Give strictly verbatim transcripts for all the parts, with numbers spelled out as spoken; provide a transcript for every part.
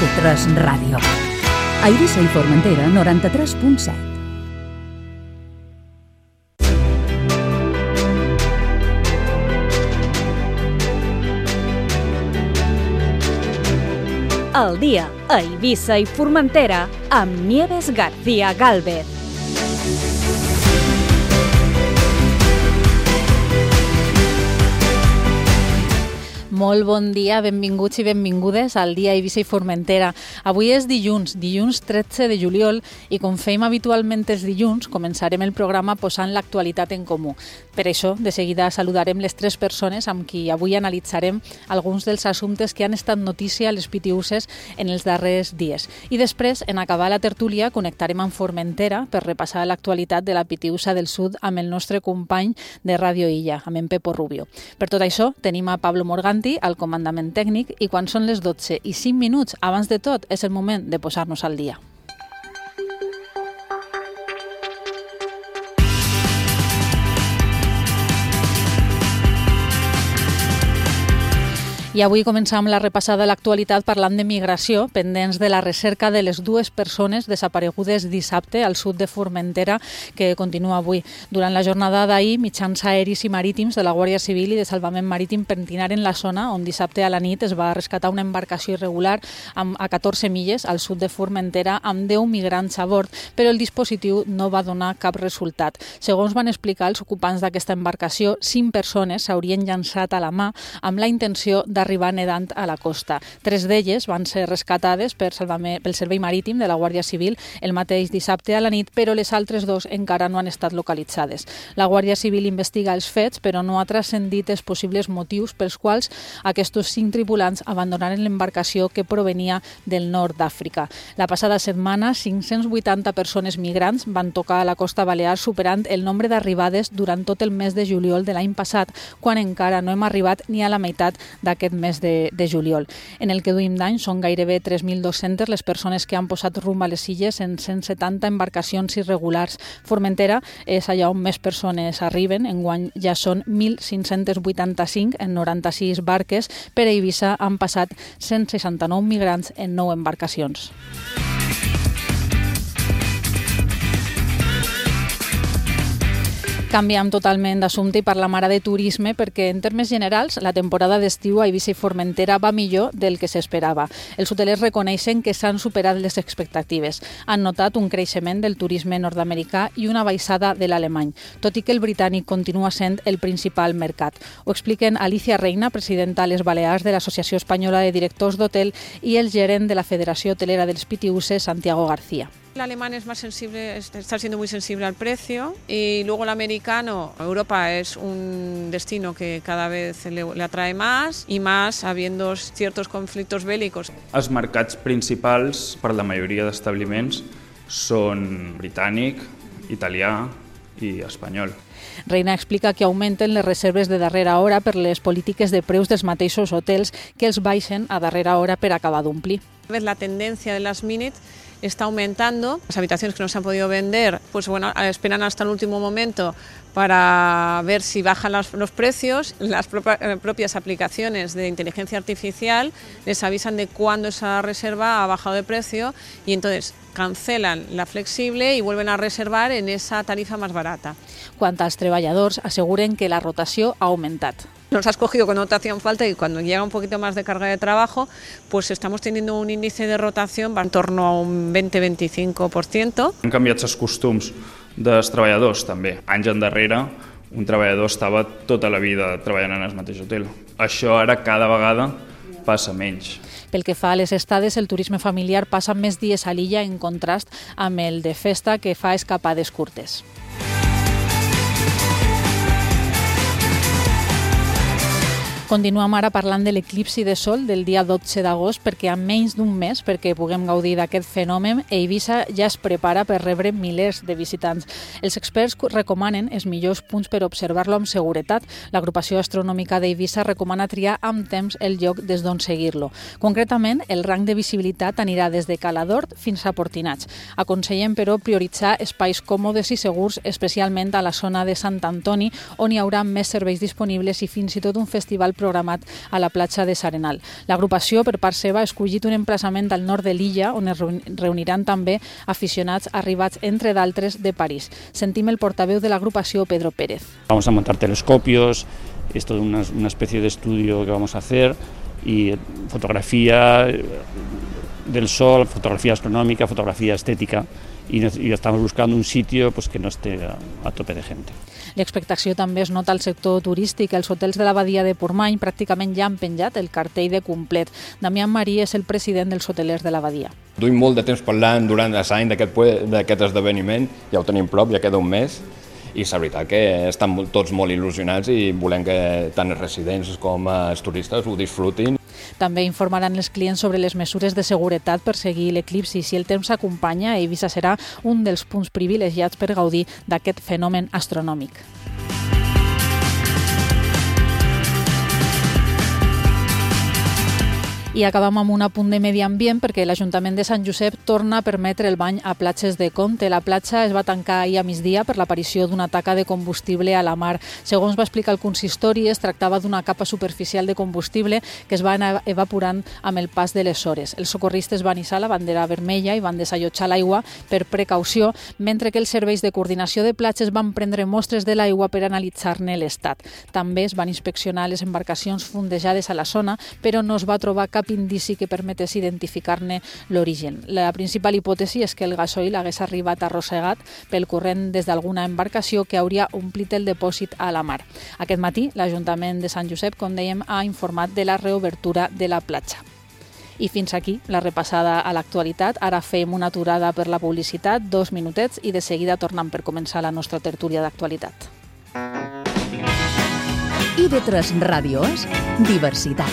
de tres Ràdio. A Eivissa i Formentera, noranta-tres punt set. El dia a Eivissa i Formentera amb Nieves García Gálvez. Molt bon dia, benvinguts i benvingudes al dia Eivissa i Formentera. Avui és dilluns, dilluns tretze de juliol, i com fem habitualment els dilluns, començarem el programa posant l'actualitat en comú. Per això, de seguida saludarem les tres persones amb qui avui analitzarem alguns dels assumptes que han estat notícia a les Pitiüses en els darrers dies. I després, en acabar la tertúlia, connectarem amb Formentera per repassar l'actualitat de la Pitiüsa del Sud amb el nostre company de Ràdio Illa, amb en Pepo Rubio. Per tot això, tenim a Pablo Morganti al comandament tècnic, i quan són les dotze i cinc minuts abans de tot és el moment de posar-nos al dia. I avui començam la repassada de l'actualitat parlant de migració, pendents de la recerca de les dues persones desaparegudes dissabte al sud de Formentera, que continua avui. Durant la jornada d'ahir, mitjans aeris i marítims de la Guàrdia Civil i de Salvament Marítim pentinaren la zona on dissabte a la nit es va rescatar una embarcació irregular amb, a catorze milles al sud de Formentera amb deu migrants a bord, però el dispositiu no va donar cap resultat. Segons van explicar els ocupants d'aquesta embarcació, cinc persones s'haurien llançat a la mà amb la intenció de arribar nedant a la costa. Tres d'elles van ser rescatades per pel Servei Marítim de la Guàrdia Civil el mateix dissabte a la nit, però les altres dos encara no han estat localitzades. La Guàrdia Civil investiga els fets, però no ha transcendit els possibles motius pels quals aquests cinc tripulants abandonaren l'embarcació que provenia del nord d'Àfrica. La passada setmana, cinc-cents vuitanta persones migrants van tocar a la costa balear, superant el nombre d'arribades durant tot el mes de juliol de l'any passat, quan encara no hem arribat ni a la meitat d'aquest mes de, de juliol. En el que duim d'any són gairebé tres mil dos-centes les persones que han posat rumb a les illes en cent setanta embarcacions irregulars. Formentera és allà on més persones arriben, enguany ja són mil cinc-cents vuitanta-cinc en noranta-sis barques. Per a Eivissa han passat cent seixanta-nou migrants en nou embarcacions. Canviem totalment d'assumpte i parlam ara de turisme, perquè en termes generals la temporada d'estiu a Eivissa i Formentera va millor del que s'esperava. Els hotelers reconeixen que s'han superat les expectatives. Han notat un creixement del turisme nord-americà i una baixada de l'alemany, tot i que el britànic continua sent el principal mercat. Ho expliquen Alicia Reina, presidenta a les Balears de l'Associació Espanyola de Directors d'Hotel, i el gerent de la Federació Hotelera dels Pitiüses, Santiago García. El alemán es más sensible, está siendo muy sensible al precio, y luego el americano, Europa es un destino que cada vez le, le atrae más y más habiendo ciertos conflictos bélicos. Els mercats principals per la majoria d'establiments són britànic, italià i espanyol. Reina explica que augmenten les reserves de darrera hora per les polítiques de preus dels mateixos hotels, que els baixen a darrera hora per acabar d'omplir. La tendencia de las minutes está aumentando. Las habitaciones que no se han podido vender, pues bueno, esperan hasta el último momento para ver si bajan los, los precios. Las propia, propias aplicaciones de inteligencia artificial les avisan de cuándo esa reserva ha bajado de precio, y entonces cancelan la flexible y vuelven a reservar en esa tarifa más barata. Quant als treballadors, asseguren que la rotació ha augmentat. Nos has cogido cuando no te hacían falta, y cuando llega un poquito más de carga de trabajo, pues estamos teniendo un índice de rotación en torno a un veinte a veinticinco por ciento. Han canviat els costums dels treballadors també. Anys endarrere, un treballador estava tota la vida treballant en el mateix hotel. Això ara cada vegada passa menys. Pel que fa a les estades, el turisme familiar passa més dies a l'illa en contrast amb el de festa, que fa escapades curtes. Continuem ara parlant de l'eclipsi de sol del dia dotze d'agost, perquè en menys d'un mes, perquè puguem gaudir d'aquest fenomen, Eivissa ja es prepara per rebre milers de visitants. Els experts recomanen els millors punts per observar-lo amb seguretat. L'agrupació astronòmica d'Eivissa recomana triar amb temps el lloc des d'on seguir-lo. Concretament, el rang de visibilitat anirà des de Cala d'Hort fins a Portinats. Aconsellem, però, prioritzar espais còmodes i segurs, especialment a la zona de Sant Antoni, on hi haurà més serveis disponibles i fins i tot un festival programat a la platja de S'Arenal. L'agrupació, per part seva, ha escollit un emplaçament al nord de l'illa on es reuniran també aficionats arribats, entre d'altres, de París. Sentim el portaveu de l'agrupació, Pedro Pérez. Vamos a montar telescopios, esto es una, una especie de estudio que vamos a hacer, y fotografía del sol, fotografía astronómica, fotografía estética, y, y estamos buscando un sitio pues, que no esté a, a tope de gente. L'expectació també es nota al sector turístic. Els hotels de la badia de Portmany pràcticament ja han penjat el cartell de complet. Damián Marí és el president dels hotelers de la badia. Duim molt de temps parlant durant l'any d'aquest esdeveniment, ja ho tenim prop, ja queda un mes, i és veritat que estan tots molt il·lusionats i volem que tant els residents com els turistes ho disfrutin. També informaran els clients sobre les mesures de seguretat per seguir l'eclipsi. Si el temps s'acompanya, Eivissa serà un dels punts privilegiats per gaudir d'aquest fenomen astronòmic. I acabam amb un apunt de medi ambient perquè l'Ajuntament de Sant Josep torna a permetre el bany a platges de Comte. La platja es va tancar ahir a migdia per l'aparició d'una taca de combustible a la mar. Segons va explicar el consistori, es tractava d'una capa superficial de combustible que es va anar evaporant amb el pas de les hores. Els socorristes van hissar la bandera vermella i van desallotjar l'aigua per precaució, mentre que els serveis de coordinació de platges van prendre mostres de l'aigua per analitzar-ne l'estat. També es van inspeccionar les embarcacions fondejades a la zona, però no es va trobar cap indici que permetés identificar-ne l'origen. La principal hipòtesi és que el gasoil hagués arribat arrossegat pel corrent des d'alguna embarcació que hauria omplit el depòsit a la mar. Aquest matí, l'Ajuntament de Sant Josep, com dèiem, ha informat de la reobertura de la platja. I fins aquí la repassada a l'actualitat. Ara fem una aturada per la publicitat, dos minutets, i de seguida tornem per començar la nostra tertúlia d'actualitat. I V tres Ràdio és diversitat.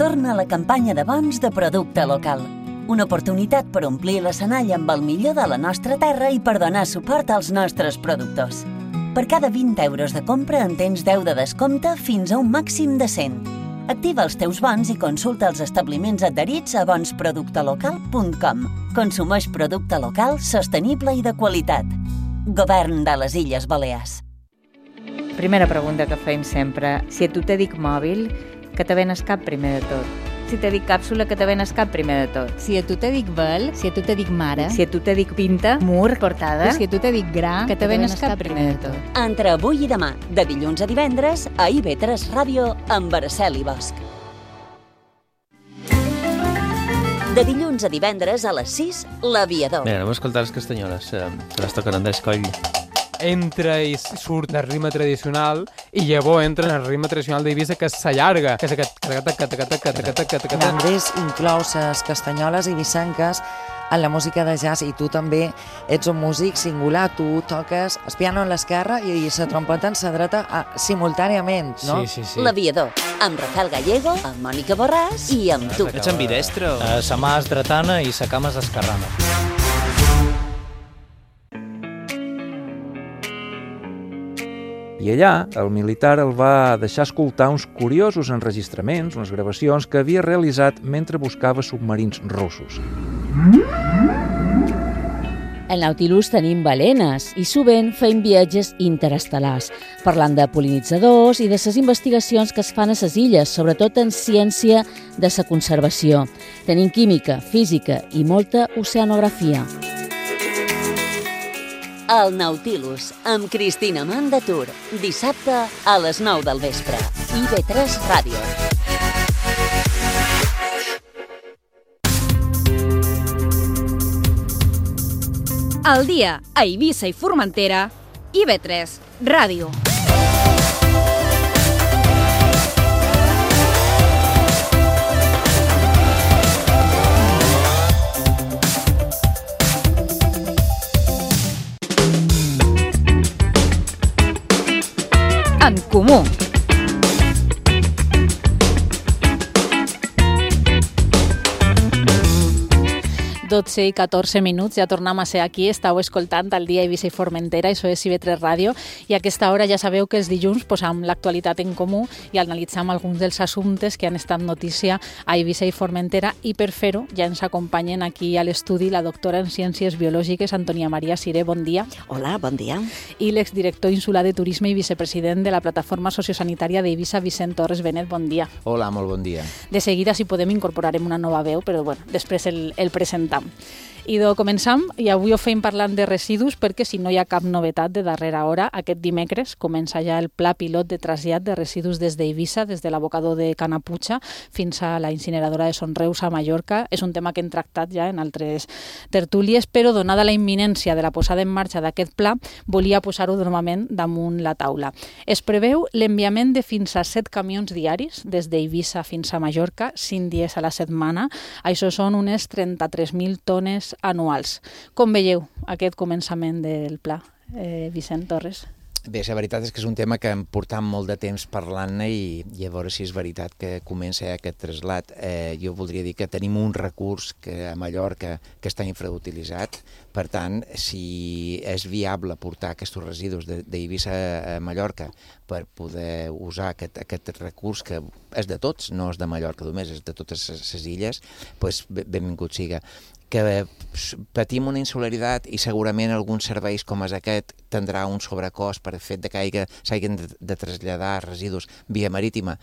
Torna la campanya de bons de producte local. Una oportunitat per omplir l'escenari amb el millor de la nostra terra i per donar suport als nostres productors. Per cada vint euros de compra en tens deu de descompte fins a un màxim de cent. Activa els teus bons i consulta els establiments adherits a bons producte local punt com. Consumeix producte local, sostenible i de qualitat. Govern de les Illes Balears. Primera pregunta que feim sempre. Si a tu te dic mòbil, que te venes cap primer de tot. Si te dic càpsula, que te venes cap primer de tot. Si a tu te dic vel, si a tu te dic mare, si a tu te dic pinta, mur, portada, si a tu te dic gra, que te venes cap primer de tot. Entre avui i demà, de dilluns a divendres, a I V tres Ràdio amb Araceli Bosch. De dilluns a divendres a les sis, l'Aviador. Bé, anem a escoltar les castanyoles, que les toquen Andrés Coll. Entra i surt la rima tradicional i llavors entra en la rima tradicional d'Eivissa, que s'allarga. L'Andrés inclou les castanyoles eivissenques en la música de jazz i tu també ets un músic singular. Tu toques el piano en l'esquerra i la trompeta en la dreta simultàniament, no? Sí, sí, sí. L'Aviador, amb Rafael Gallego, amb Mònica Borràs i amb tu. Ets ambidestro? Sa mà és dretana i sa cama és esquerrana. I allà, el militar el va deixar escoltar uns curiosos enregistraments, unes gravacions que havia realitzat mentre buscava submarins russos. Al Nautilus tenim balenes i sovint fem viatges interestel·lars, parlant de pol·linitzadors i de les investigacions que es fan a les illes, sobretot en ciència de la conservació. Tenim química, física i molta oceanografia. El Nautilus, amb Cristina Mandatur, dissabte a les nou del vespre. I V tres Ràdio. Al dia a Eivissa i Formentera, I V tres Ràdio. En comú. dotze i catorze minuts, ja tornem a ser aquí, estàu escoltant el dia Eivissa i Formentera, això és I V tres Ràdio, i a aquesta hora ja sabeu que els dilluns posam l'actualitat en comú i analitzam alguns dels assumptes que han estat notícia a Eivissa i Formentera, i per fer-ho ja ens acompanyen aquí a l'estudi la doctora en Ciències Biològiques, Antonia Maria Siré, bon dia. Hola, bon dia. I l'exdirector insular de Turisme i vicepresident de la Plataforma Sociosanitària d'Eivissa, Vicent Torres Benet, bon dia. Hola, molt bon dia. De seguida, si podem, incorporarem una nova veu, però bueno, després el, el presentam. I de començam, i avui ho feim parlant de residus perquè si no hi ha cap novetat de darrera hora, aquest dimecres comença ja el pla pilot de trasllat de residus des d'Eivissa, des de l'abocador de Canaputxa fins a la incineradora de Son Reus a Mallorca. És un tema que hem tractat ja en altres tertúlies, però donada la imminència de la posada en marxa d'aquest pla, volia posar-ho normalment damunt la taula. Es preveu l'enviament de fins a set camions diaris des d'Eivissa fins a Mallorca, cinc dies a la setmana. Això són unes trenta-tres mil tones anuals. Com veieu aquest començament del pla, eh, Vicent Torres? Bé, la veritat és que és un tema que hem portat molt de temps parlant-ne i, i a veure si és veritat que comença aquest trasllat. Eh, jo voldria dir que tenim un recurs que a Mallorca que està infrautilitzat. Per tant, si és viable portar aquests residus d'Eivissa a Mallorca per poder usar aquest, aquest recurs que és de tots, no és de Mallorca només, és de totes les illes, doncs benvingut siga. Que patim una insularitat i segurament alguns serveis com és aquest tindrà un sobrecost per fet de que s'hagin de, de traslladar residus via marítima.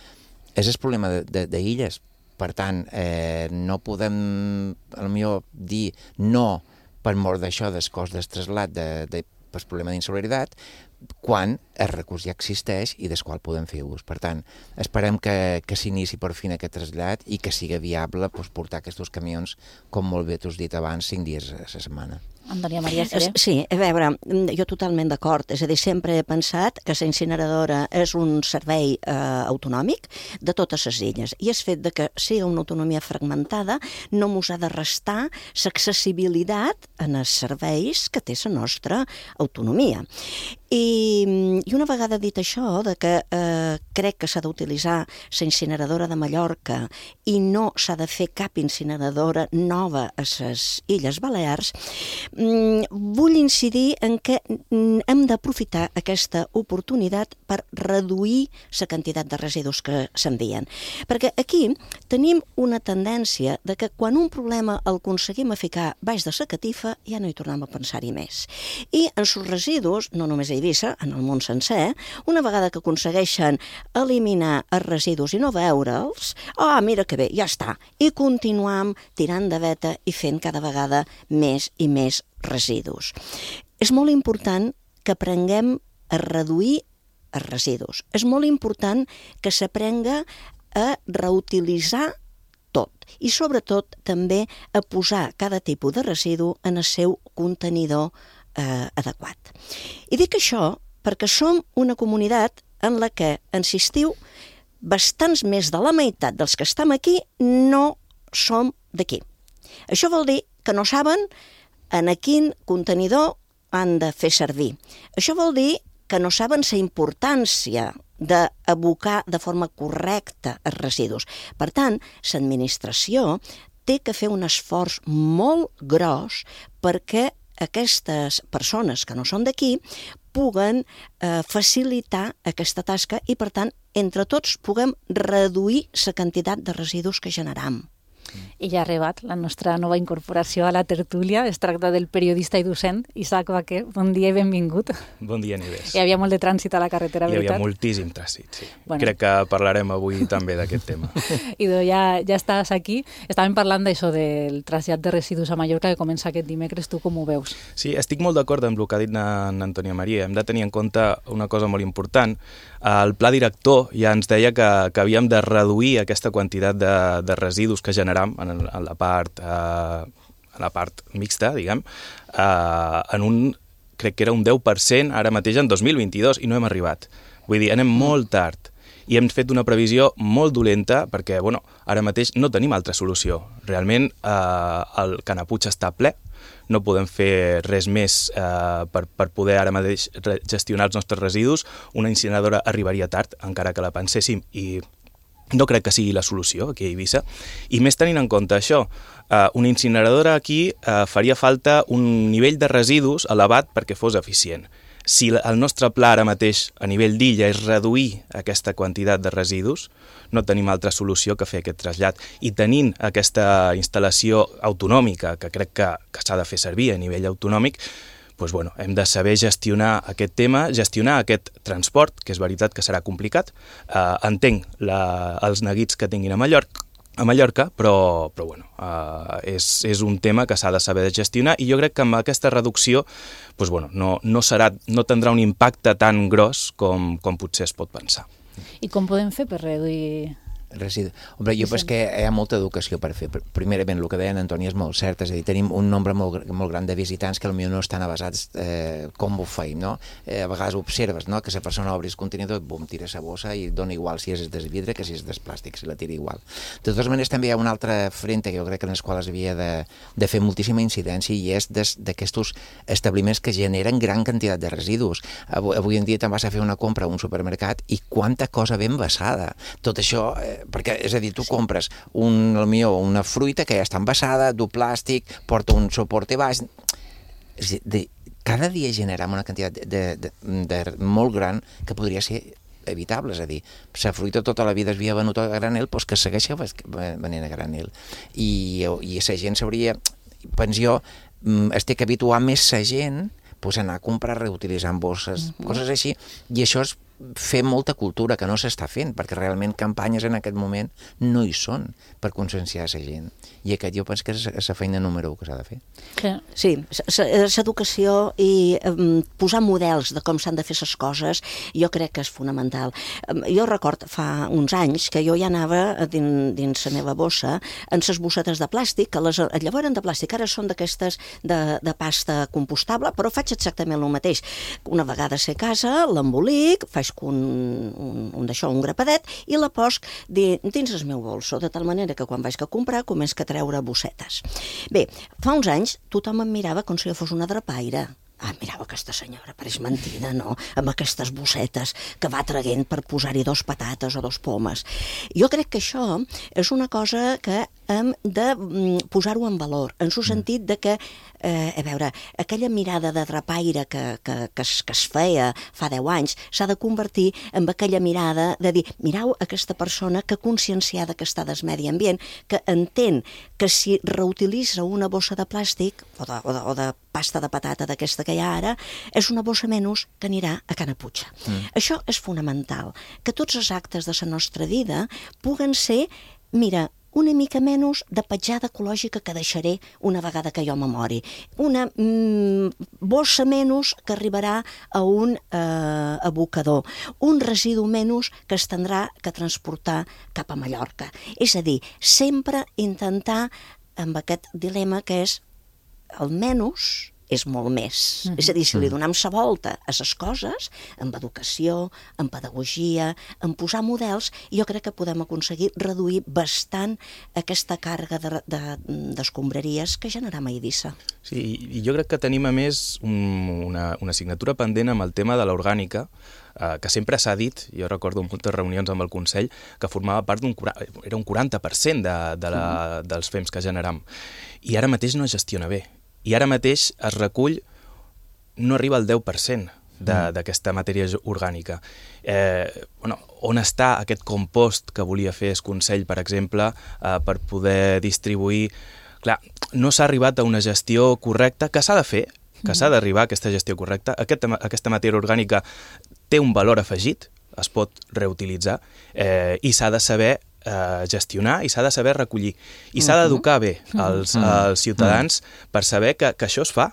És el problema d'illes. Per tant, eh, no podem potser dir no per mort d'això del cost del trasllat de, de, per problema d'insularitat, quan el recurs ja existeix i del qual podem fer ús. Per tant, esperem que, que s'inici per fin aquest trasllat i que sigui viable doncs, portar aquests camions, com molt bé t'has dit abans, cinc dies a la setmana. Antonia Maria Siré. Sí, a veure, jo totalment d'acord. És a dir, sempre he pensat que la incineradora és un servei eh, autonòmic de totes les illes i el fet de que sigui una autonomia fragmentada no mos ha de restar l'accessibilitat en els serveis que té la nostra autonomia. I, i una vegada dit això, de que eh, crec que s'ha d'utilitzar la incineradora de Mallorca i no s'ha de fer cap incineradora nova a les Illes Balears, vull incidir en que hem d'aprofitar aquesta oportunitat per reduir la quantitat de residus que s'envien. Perquè aquí tenim una tendència de que quan un problema el aconseguim a ficar baix de la catifa ja no hi tornem a pensar-hi més. I en els residus, no només a Eivissa, en el món sencer, una vegada que aconsegueixen eliminar els residus i no veure'ls, ah, mira que bé, ja està, i continuam tirant de veta i fent cada vegada més i més residus. És molt important que aprenguem a reduir els residus. És molt important que s'aprenga a reutilitzar tot i sobretot també a posar cada tipus de residu en el seu contenidor eh, adequat. I dic això perquè som una comunitat en la que, en l'estiu, bastants més de la meitat dels que estem aquí no som d'aquí. Això vol dir que no saben en quin contenidor han de fer servir. Això vol dir que no saben la importància d'abocar de forma correcta els residus. Per tant, l'administració té que fer un esforç molt gros perquè aquestes persones que no són d'aquí puguen eh, facilitar aquesta tasca i, per tant, entre tots puguem reduir la quantitat de residus que generam. I ja ha arribat la nostra nova incorporació a la tertúlia. Es tracta del periodista i docent Isaac Baquer. Bon dia i benvingut. Bon dia, Nieves. Hi havia molt de trànsit a la carretera, veritat? Hi havia moltíssim trànsit, sí. Bueno. Crec que parlarem avui també d'aquest tema. Idò, ja, ja estàs aquí. Estàvem parlant d'això del trasllat de residus a Mallorca que comença aquest dimecres. Tu com ho veus? Sí, estic molt d'acord amb el que ha dit en Antonia Maria. Hem de tenir en compte una cosa molt important. El pla director ja ens deia que, que havíem de reduir aquesta quantitat de, de residus que generam en, en, la part, eh, en la part mixta, diguem, eh, en un, crec que era un deu per cent ara mateix en dos mil vint-i-dos i no hem arribat. Vull dir, anem molt tard i hem fet una previsió molt dolenta perquè, bueno, ara mateix no tenim altra solució. Realment eh, el Canaputxa està ple, no podem fer res més eh, per, per poder ara mateix gestionar els nostres residus. Una incineradora arribaria tard, encara que la penséssim, i no crec que sigui la solució aquí a Eivissa, i més tenint en compte això, eh, una incineradora aquí eh, faria falta un nivell de residus elevat perquè fos eficient. Si el nostre pla ara mateix a nivell d'illa és reduir aquesta quantitat de residus, no tenim altra solució que fer aquest trasllat. I tenint aquesta instal·lació autonòmica, que crec que, que s'ha de fer servir a nivell autonòmic, doncs, bueno, hem de saber gestionar aquest tema, gestionar aquest transport, que és veritat que serà complicat. Eh, entenc la, els neguits que tinguin a Mallorca, a Mallorca, però, però bueno, uh, és, és un tema que s'ha de saber gestionar i jo crec que amb aquesta reducció doncs, bueno, no, no, serà, no tindrà un impacte tan gros com, com potser es pot pensar. I com podem fer per reduir... Residu. Hombre, jo penso que hi ha molta educació per fer. Primerament, el que deia en Antoni és molt cert, és a dir, tenim un nombre molt, molt gran de visitants que potser no estan avasats eh, com ho feim, no? Eh, a vegades observes, no?, que la persona obri el contenidor, bum, tira la bossa i dona igual si és de vidre que si és de plàstic, si la tira igual. De totes maneres, també hi ha una altra frente que jo crec que en les quals havia de, de fer moltíssima incidència i és d'aquests establiments que generen gran quantitat de residus. Avui, avui en dia te'n vas a fer una compra a un supermercat i quanta cosa ben vessada. Tot això... Eh, perquè, és a dir, tu compres un, millor, una fruita que ja està envasada, du plàstic, porta un soporte baix... És a dir, cada dia generem una quantitat de, de, de, de molt gran que podria ser evitable, és a dir, la fruita tota la vida es havia venut a granel, doncs que segueixi venent a granel. I, i la gent s'hauria... Penso jo, estic habituant més la gent pues, a anar a comprar reutilitzant bosses, mm-hmm. coses així, i això és fer molta cultura que no s'està fent, perquè realment campanyes en aquest moment no hi són per conscienciar la gent. I aquest jo penso que és la feina número u que s'ha de fer. Sí, l'educació i um, posar models de com s'han de fer les coses jo crec que és fonamental. Um, jo record fa uns anys que jo ja anava dins, dins la meva bossa en les bossetes de plàstic, que les, llavors eren de plàstic, ara són d'aquestes de, de pasta compostable, però faig exactament el mateix. Una vegada sé a casa, l'embolic, faig un, un, un d'això, un grapadet, i la posc dins el meu bolso, de tal manera que quan vaig a comprar començo a treure bossetes. Bé, fa uns anys tothom em mirava com si jo fos una drapaire. Ah, mirava aquesta senyora, pareix mentida, no? Amb aquestes bossetes que va traguent per posar-hi dos patates o dos pomes. Jo crec que això és una cosa que hem de posar-ho en valor, en el sentit de que, eh, a veure, aquella mirada de drapaire que, que, que, es, que es feia fa deu anys s'ha de convertir en aquella mirada de dir, mireu aquesta persona que conscienciada que està del medi ambient, que entén que si reutilitza una bossa de plàstic o de, o de, o de pasta de patata d'aquesta que hi ha ara, és una bossa menys que anirà a Can Aputxa. Mm. Això és fonamental, que tots els actes de la nostra vida puguen ser, mira, una mica menys de petjada ecològica que deixaré una vegada que jo me mori. Una mm, bossa menys que arribarà a un eh, abocador. Un residu menys que es tindrà que transportar cap a Mallorca. És a dir, sempre intentar amb aquest dilema que és el menys és molt més. Mm-hmm. És a dir, si li donem la volta a les coses, amb educació, amb pedagogia, amb posar models, jo crec que podem aconseguir reduir bastant aquesta càrrega de, de, d'escombraries que generam a Eivissa. Sí, i jo crec que tenim a més un, una, una assignatura pendent amb el tema de l'orgànica, eh, que sempre s'ha dit, jo recordo moltes reunions amb el Consell, que formava part d'un era un quaranta per cent de, de la, mm. dels fems que generam. I ara mateix no es gestiona bé. I ara mateix es recull, no arriba al deu per cent d'aquesta matèria orgànica. Eh, bueno, on està aquest compost que volia fer el Consell, per exemple, eh, per poder distribuir... Clar, no s'ha arribat a una gestió correcta, que s'ha de fer, que s'ha d'arribar a aquesta gestió correcta. Aquesta, aquesta matèria orgànica té un valor afegit, es pot reutilitzar, eh, i s'ha de saber Uh, gestionar i s'ha de saber recollir. I s'ha d'educar bé als, als ciutadans per saber que, que això es fa.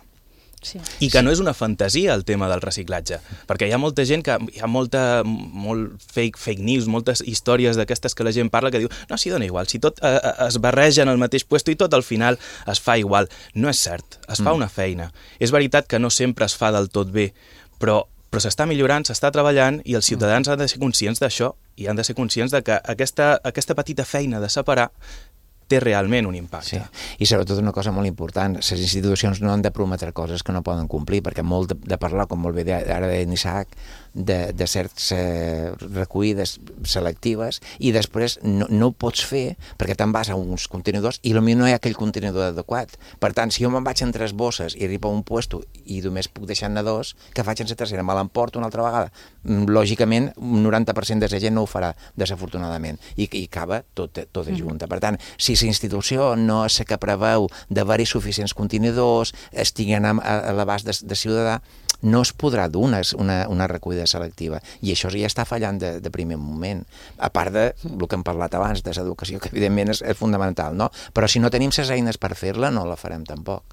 Sí. I que no és una fantasia el tema del reciclatge, perquè hi ha molta gent que hi ha molta molt fake, fake news, moltes històries d'aquestes que la gent parla que diu, no, si dona igual, si tot eh, es barreja en el mateix puesto i tot al final es fa igual. No és cert, es fa mm. una feina. És veritat que no sempre es fa del tot bé, però però s'està millorant, s'està treballant i els ciutadans han de ser conscients d'això i han de ser conscients de que aquesta, aquesta petita feina de separar té realment un impacte. Sí. I sobretot una cosa molt important, les institucions no han de prometre coses que no poden complir, perquè molt de, de parlar, com molt bé ara deia Isaac, de, de certs eh, recollides selectives, i després no, no ho pots fer perquè te'n vas a uns contenidors i potser no hi ha aquell contenidor adequat. Per tant, si jo me'n vaig en tres bosses i arribo a un puesto i només puc deixar-ne dos, que faig en la tercera? Me l'emporto una altra vegada? Lògicament, un noranta per cent de la gent no ho farà, desafortunadament, i, i acaba tot, tot mm. junta. Per tant, si la institució no és la que preveu d'haver-hi suficients contenidors, estiguen a, a l'abast de, de ciutadà, no es podrà dur una, una, una recollida selectiva. I això ja està fallant de, de primer moment. A part de el que hem parlat abans, de l'educació, que evidentment és, és fonamental, no? Però si no tenim les eines per fer-la, no la farem tampoc.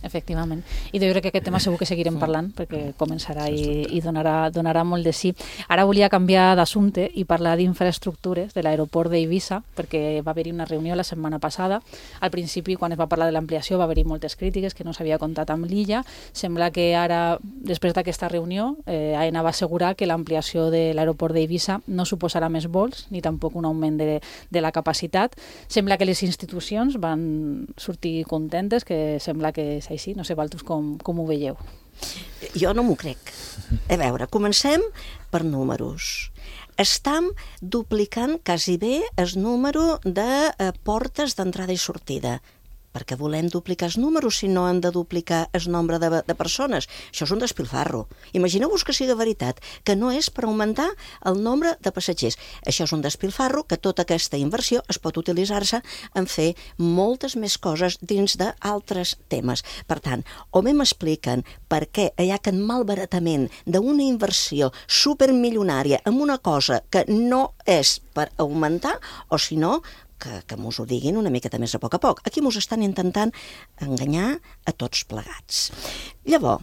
Efectivament. I jo crec que aquest tema segur que seguirem parlant, perquè començarà i, i donarà, donarà molt de sí. Ara volia canviar d'assumpte i parlar d'infraestructures de l'aeroport d'Eivissa, perquè va haver-hi una reunió la setmana passada. Al principi, quan es va parlar de l'ampliació, va haver-hi moltes crítiques, que no s'havia comptat amb l'illa. Sembla que ara, després d'aquesta reunió, eh, AENA va assegurar que l'ampliació de l'aeroport d'Eivissa no suposarà més vols, ni tampoc un augment de, de la capacitat. Sembla que les institucions van sortir contentes, que sembla que així, no sé, vosaltres com, com ho veieu? Jo no m'ho crec. A veure, comencem per números. Estam duplicant quasi bé el número de eh, portes d'entrada i sortida. Perquè volem duplicar els números si no hem de duplicar el nombre de, de persones. Això és un despilfarro. Imagineu-vos que sigui veritat, que no és per augmentar el nombre de passatgers. Això és un despilfarro, que tota aquesta inversió es pot utilitzar-se en fer moltes més coses dins d'altres temes. Per tant, o bé m'expliquen per què hi ha aquest malbaratament d'una inversió supermilionària en una cosa que no és per augmentar, o si no, que, que mos ho diguin una miqueta més a poc a poc. Aquí mos estan intentant enganyar a tots plegats. Llavors,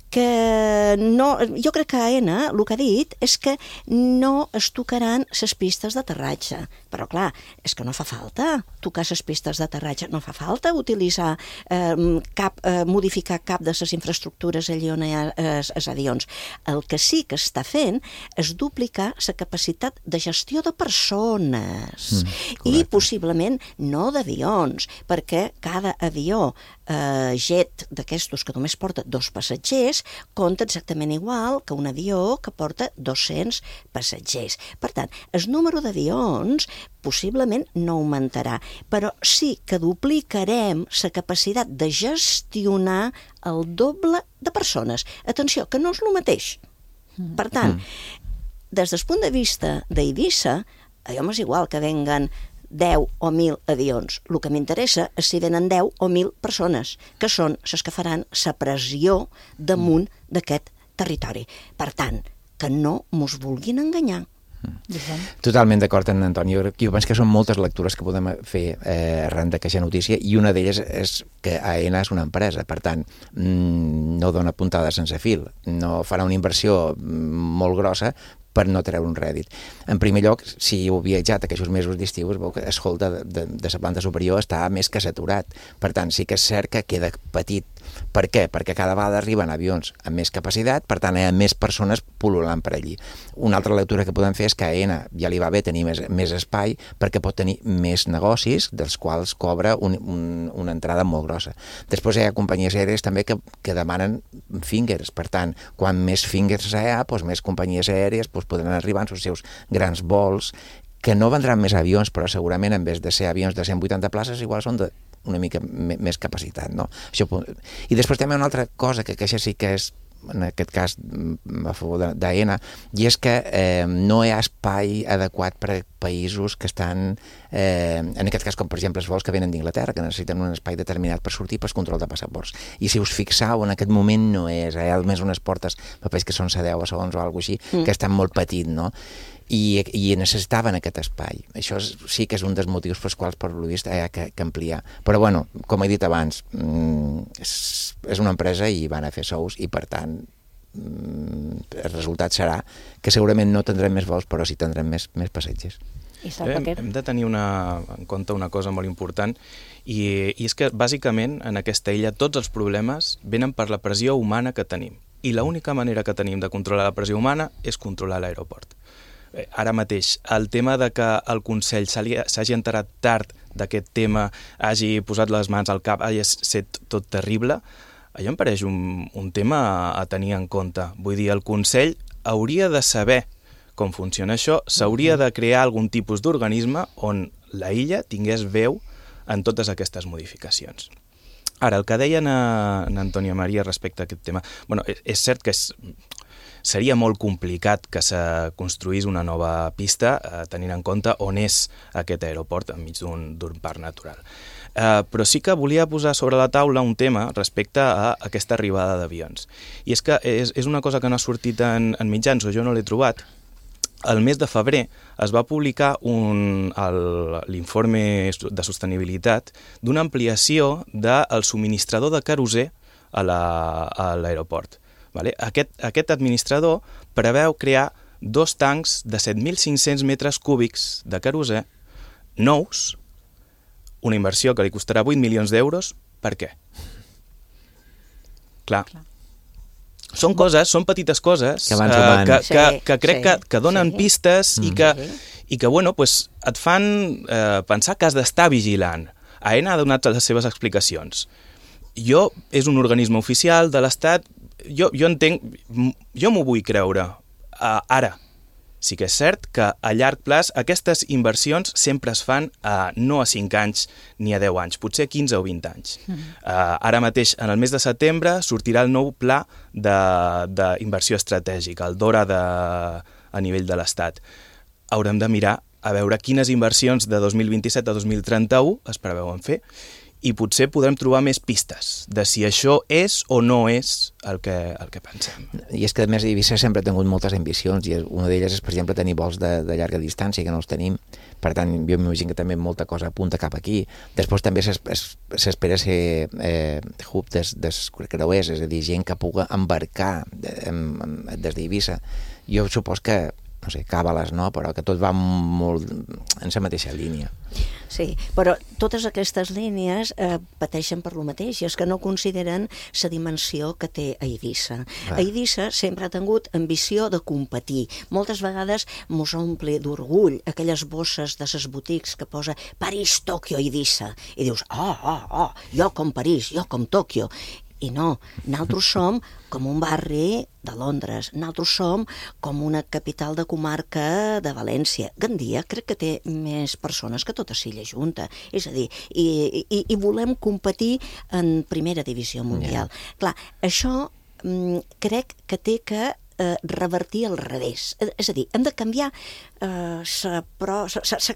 que no, jo crec que AENA el que ha dit és que no es tocaran les pistes d'aterratge. Però clar, és que no fa falta tocar les pistes d'aterratge, no fa falta utilitzar eh, cap, eh, modificar cap de les infraestructures allà on hi ha els avions. El que sí que està fent és duplicar la capacitat de gestió de persones mm, i possiblement no d'avions, perquè cada avió eh, jet d'aquestos que només porta dos passatgers compta exactament igual que un avió que porta dos-cents passatgers. Per tant, el número d'avions possiblement no augmentarà, però sí que duplicarem la capacitat de gestionar el doble de persones. Atenció, que no és el mateix. Per tant, des del punt de vista d'Eivissa, a mi m'és igual que venguen deu o mil avions. El que m'interessa és si venen deu o mil persones, que són les que faran la pressió damunt d'aquest territori. Per tant, que no mos vulguin enganyar. Totalment d'acord amb Antoni. Jo, jo penso que són moltes lectures que podem fer eh, arran d'aquesta notícia, i una d'elles és que AENA és una empresa, per tant mmm, no dona puntada sense fil, no farà una inversió molt grossa per no treure un rèdit. En primer lloc, si heu viatjat aquests mesos d'estiu, es veu que el hall de, de, de la planta superior està més que saturat. Per tant, sí que és cert que queda petit. Per què? Perquè cada vegada arriben avions amb més capacitat, per tant hi ha més persones pul·lulant per allí. Una altra lectura que podem fer és que a AENA ja li va bé tenir més, més espai perquè pot tenir més negocis, dels quals cobra un, un, una entrada molt grossa. Després hi ha companyies aèries també que, que demanen fingers, per tant, quan més fingers hi ha, doncs més companyies aèries doncs podran arribar en els seus grans vols, que no vendran més avions, però segurament en vez de ser avions de cent vuitanta places, igual són de una mica més capacitat, no? Això, i després també una altra cosa, que, que això sí que és, en aquest cas, a favor d'AENA, i és que eh, no hi ha espai adequat per a països que estan, eh, en aquest cas, com per exemple els vols que venen d'Inglaterra, que necessiten un espai determinat per sortir per control de passaports. I si us fixeu, en aquest moment no és, hi ha almenys unes portes, papers que són a deu segons o alguna cosa així, mm. que estan molt petit, no? I, i necessitaven aquest espai. Això és, sí que és un dels motius pels quals, per lo vist, hi ha que, que ampliar. Però, bueno, com he dit abans, és, és una empresa i van a fer sous i, per tant, el resultat serà que segurament no tindrem més vols, però sí tindrem més, més passatgers. Hem, hem de tenir una, en compte una cosa molt important, i, i és que, bàsicament, en aquesta illa tots els problemes venen per la pressió humana que tenim. I l'única manera que tenim de controlar la pressió humana és controlar l'aeroport. ara mateix, el tema de que el Consell s'hagi enterat tard d'aquest tema, hagi posat les mans al cap, hagi estat tot terrible, allò em pareix un, un tema a tenir en compte. Vull dir, el Consell hauria de saber com funciona això, s'hauria de crear algun tipus d'organisme on la illa tingués veu en totes aquestes modificacions. Ara, el que deia en Antònia Maria respecte a aquest tema, bueno, és cert que és, seria molt complicat que se construís una nova pista eh, tenint en compte on és aquest aeroport enmig d'un parc natural. Eh, però sí que volia posar sobre la taula un tema respecte a aquesta arribada d'avions. I és que és, és una cosa que no ha sortit en, en mitjans, o jo no l'he trobat. El mes de febrer es va publicar l'informe de sostenibilitat d'una ampliació del subministrador de querosè a l'aeroport. Vale? Aquest, aquest administrador preveu crear dos tancs de set mil cinc-cents metres cúbics de querosè nous, una inversió que li costarà vuit milions d'euros. Per què? Clar. Clar. Són coses, són petites coses que, uh, que, que, que crec sí, que, que donen sí. pistes mm. i que, i que bueno, pues, et fan eh, pensar que has d'estar vigilant. AENA ha donat les seves explicacions. Jo, és un organisme oficial de l'Estat, jo, jo entenc, jo m'ho vull creure. Uh, ara, sí que és cert que a llarg plaç aquestes inversions sempre es fan uh, no a cinc anys ni a deu anys, potser quinze o vint anys. Mm. Uh, ara mateix, en el mes de setembre, sortirà el nou pla d'inversió estratègica, el DORA de, a nivell de l'Estat. Haurem de mirar a veure quines inversions de dos mil vint-i-set a dos mil trenta-u es preveuen fer i potser podrem trobar més pistes de si això és o no és el que, el que pensem. I és que, a més, Eivissa sempre ha tingut moltes ambicions i una d'elles és, per exemple, tenir vols de, de llarga distància, que no els tenim. Per tant, jo m'imagino que també molta cosa apunta cap aquí. Després també s'espera ser eh, hub des, des creuers, és a dir, gent que pugui embarcar des d'Eivissa. Jo supos que no sé, càbales, no? Però que tot va molt en la mateixa línia. Sí, però totes aquestes línies eh, pateixen per lo mateix, i és que no consideren la dimensió que té Eivissa. Ah. Eivissa sempre ha tingut ambició de competir. Moltes vegades mos omple d'orgull aquelles bosses de les botics que posa París, Tòquio, Eivissa. I dius, oh, oh, oh, jo com París, jo com Tòquio. I no, nosaltres som com un barri de Londres, nosaltres som com una capital de comarca de València. Gandia crec que té més persones que tota Silla junta, és a dir, i, i, i volem competir en primera divisió mundial. Yeah. Clar, això mm, crec que té que eh, revertir al revés. És a dir, hem de canviar eh, la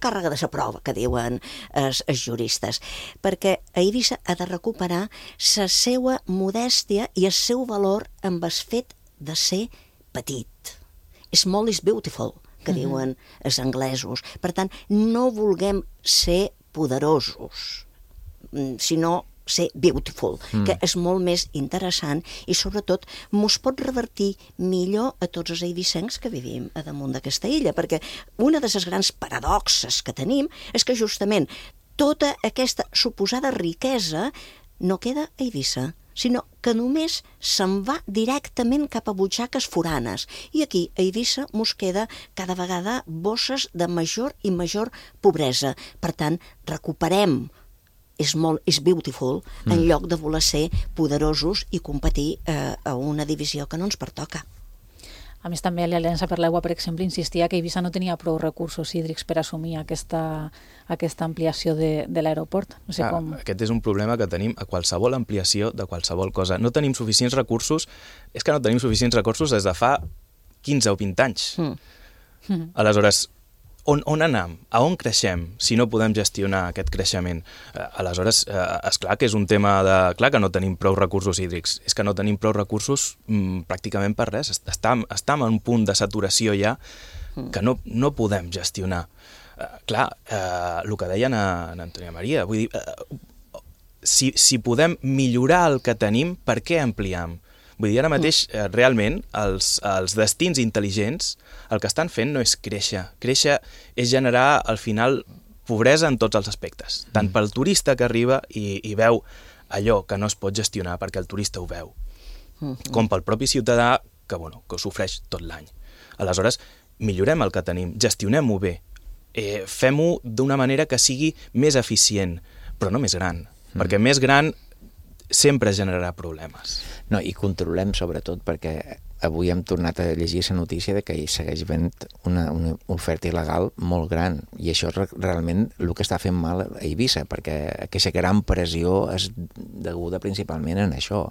càrrega de la prova, que diuen els, els juristes, perquè Eivissa ha de recuperar la seva modèstia i el seu valor amb el fet de ser petit. Small is beautiful, que mm-hmm. diuen els anglesos. Per tant, no vulguem ser poderosos, sinó ser beautiful, mm. que és molt més interessant i sobretot mos pot revertir millor a tots els eivissencs que vivim a damunt d'aquesta illa, perquè una de les grans paradoxes que tenim és que justament tota aquesta suposada riquesa no queda a Eivissa, sinó que només se'n va directament cap a butxaques foranes. I aquí, a Eivissa, mos queda cada vegada bosses de major i major pobresa. Per tant, recuperem és molt, és beautiful, en mm. lloc de voler ser poderosos i competir eh, a una divisió que no ens pertoca. A més, també l'Aliança per l'Aigua, per exemple, insistia que Eivissa no tenia prou recursos hídrics per assumir aquesta, aquesta ampliació de, de l'aeroport. No sé ah, com... Aquest és un problema que tenim a qualsevol ampliació de qualsevol cosa. No tenim suficients recursos, és que no tenim suficients recursos des de fa quinze o vint anys. Mm. Mm. Aleshores, On, on anem? A on creixem si no podem gestionar aquest creixement? Eh, aleshores, eh, és clar que és un tema de... Clar que no tenim prou recursos hídrics, és que no tenim prou recursos mm, pràcticament per res. Estam, estam en un punt de saturació ja que no, no podem gestionar. Eh, clar, eh, el que deien a, a Antònia Maria, vull dir, eh, si, si podem millorar el que tenim, per què ampliam? Vull dir, ara mateix, eh, realment, els, els destins intel·ligents el que estan fent no és créixer. Créixer és generar, al final, pobresa en tots els aspectes. Tant pel turista que arriba i, i veu allò que no es pot gestionar perquè el turista ho veu, com pel propi ciutadà que, bueno, que ho sofreix tot l'any. Aleshores, millorem el que tenim, gestionem-ho bé, eh, fem-ho d'una manera que sigui més eficient, però no més gran, mm. perquè més gran sempre generarà problemes. No, i controlem sobretot perquè avui hem tornat a llegir la notícia de que hi segueix havent una, una oferta il·legal molt gran, i això és realment el que està fent mal a Eivissa, perquè aquesta gran pressió és deguda principalment en això.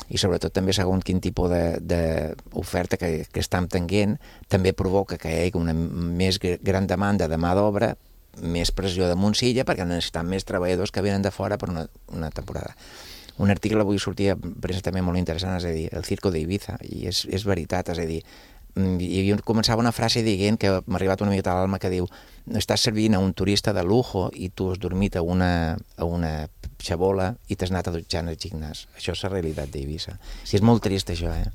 I sobretot també segons quin tipus d'oferta que, que estem tenint també provoca que hi hagi una més gran demanda de mà d'obra, més pressió damunt silla, perquè necessitem més treballadors que venen de fora per una, una temporada. Un article avui sortia premsa també molt interessant, és a dir, el circo d'Eivissa, i és, és veritat, és a dir, i començava una frase dient que m'ha arribat una miqueta a l'alma que diu: estàs servint a un turista de lujo i tu has dormit a una, a una xabola i t'has anat a dutxar al gimnàs. Això és la realitat d'Eivissa. I és molt trist això, eh?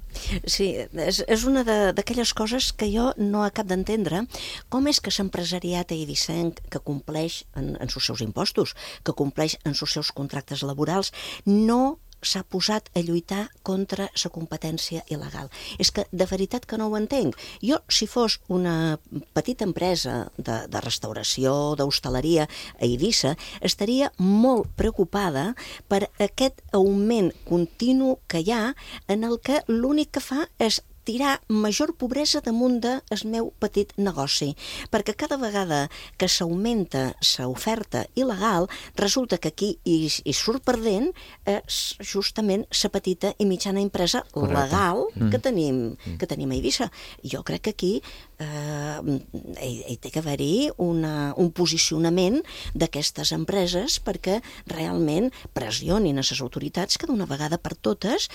Sí, és, és una d'aquelles coses que jo no acabo d'entendre. Com és que l'empresariat eivissenc, que compleix en, en els seus impostos, que compleix en els seus contractes laborals, no s'ha posat a lluitar contra la competència il·legal? És que de veritat que no ho entenc. Jo, si fos una petita empresa de, de restauració, d'hostaleria a Eivissa, estaria molt preocupada per aquest augment continu que hi ha, en el que l'únic que fa és tirar major pobresa damunt del meu petit negoci, perquè cada vegada que s'augmenta l'oferta il·legal, resulta que aquí hi, hi surt perdent és justament la petita i mitjana empresa Correcte. legal que, mm. tenim, que tenim a Eivissa. Jo crec que aquí eh, hi, hi té que haver-hi una, un posicionament d'aquestes empreses perquè realment pressionin a les autoritats que d'una vegada per totes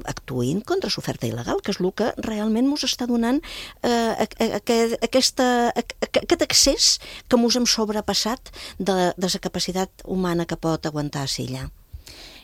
actuïn contra l'oferta il·legal, que és el que realment ens està donant eh, aquest, aquesta, aquest accés que ens hem sobrepassat de, de la capacitat humana que pot aguantar a Silla.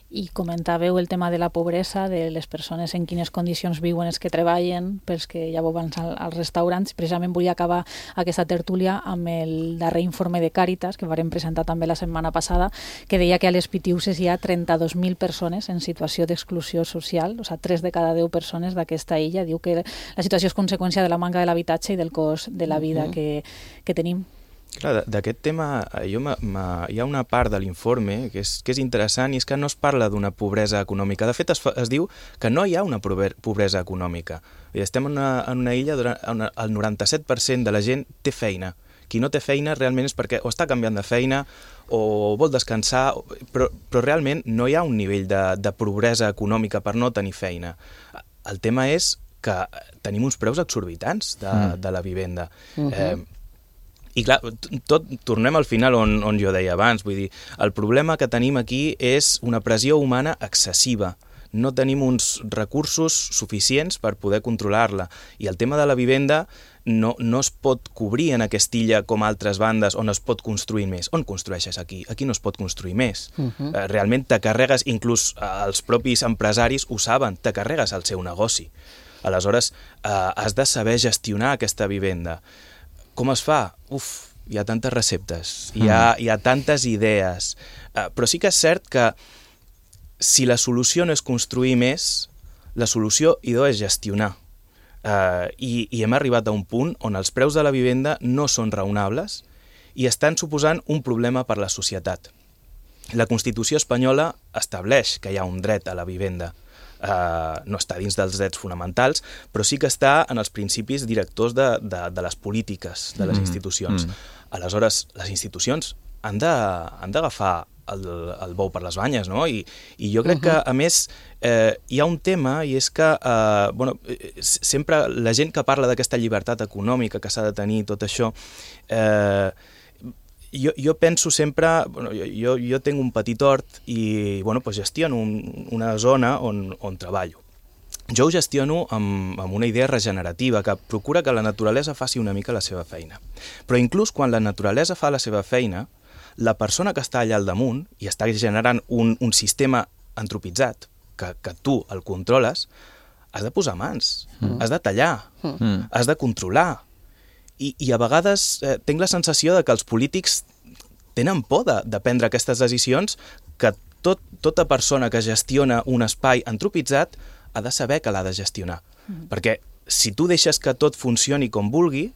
I comentàveu el tema de la pobresa, de les persones en quines condicions viuen els que treballen, pels que ja vau abans als restaurants. Precisament volia acabar aquesta tertúlia amb el darrer informe de Càritas, que vàrem presentar també la setmana passada, que deia que a les Pitiuses hi ha trenta-dos mil persones en situació d'exclusió social, o sigui, tres de cada deu persones d'aquesta illa. Diu que la situació és conseqüència de la manca de l'habitatge i del cost de la vida que, que tenim. Clar, d'aquest tema jo m m hi ha una part de l'informe que, és, que és interessant, i és que no es parla d'una pobresa econòmica. De fet, es, fa, es diu que no hi ha una pobresa econòmica. Estem en una, en una illa on el noranta-set per cent de la gent té feina. Qui no té feina realment és perquè o està canviant de feina o vol descansar, però, però realment no hi ha un nivell de, de pobresa econòmica per no tenir feina. El tema és que tenim uns preus exorbitants de, mm. de la vivenda. Uh-huh. eh, I clar, tot, tornem al final on, on jo deia abans, vull dir, el problema que tenim aquí és una pressió humana excessiva. No tenim uns recursos suficients per poder controlar-la. I el tema de la vivenda no, no es pot cobrir en aquesta illa com altres bandes on es pot construir més. On construeixes aquí? Aquí no es pot construir més. Uh-huh. eh, realment te carregues, inclús eh, els propis empresaris ho saben, te carregues el seu negoci. Aleshores, eh, has de saber gestionar aquesta vivenda. Com es fa? Uf, hi ha tantes receptes, hi ha, hi ha tantes idees, uh, però sí que és cert que si la solució no és construir més, la solució, idò, és gestionar. Uh, i, I hem arribat a un punt on els preus de la vivenda no són raonables i estan suposant un problema per a la societat. La Constitució espanyola estableix que hi ha un dret a la vivenda. Uh, no està dins dels drets fonamentals, però sí que està en els principis directors de, de, de les polítiques de les mm, institucions. Mm. Aleshores, les institucions han d'agafar el, el bou per les banyes, no? I, i jo crec uh-huh. que, a més, eh, hi ha un tema, i és que eh, bueno, sempre la gent que parla d'aquesta llibertat econòmica que s'ha de tenir, tot això, eh, Jo, jo penso sempre, bueno, jo, jo tinc un petit hort i bueno, pues gestiono un, una zona on, on treballo. Jo ho gestiono amb, amb una idea regenerativa que procura que la naturalesa faci una mica la seva feina. Però inclús quan la naturalesa fa la seva feina, la persona que està allà al damunt i està generant un, un sistema antropitzat, que, que tu el controles, has de posar mans, mm. has de tallar, mm. has de controlar. I, i a vegades eh, tinc la sensació de que els polítics tenen por de, de prendre aquestes decisions, que tot, tota persona que gestiona un espai antropitzat ha de saber que l'ha de gestionar. Mm. Perquè si tu deixes que tot funcioni com vulgui,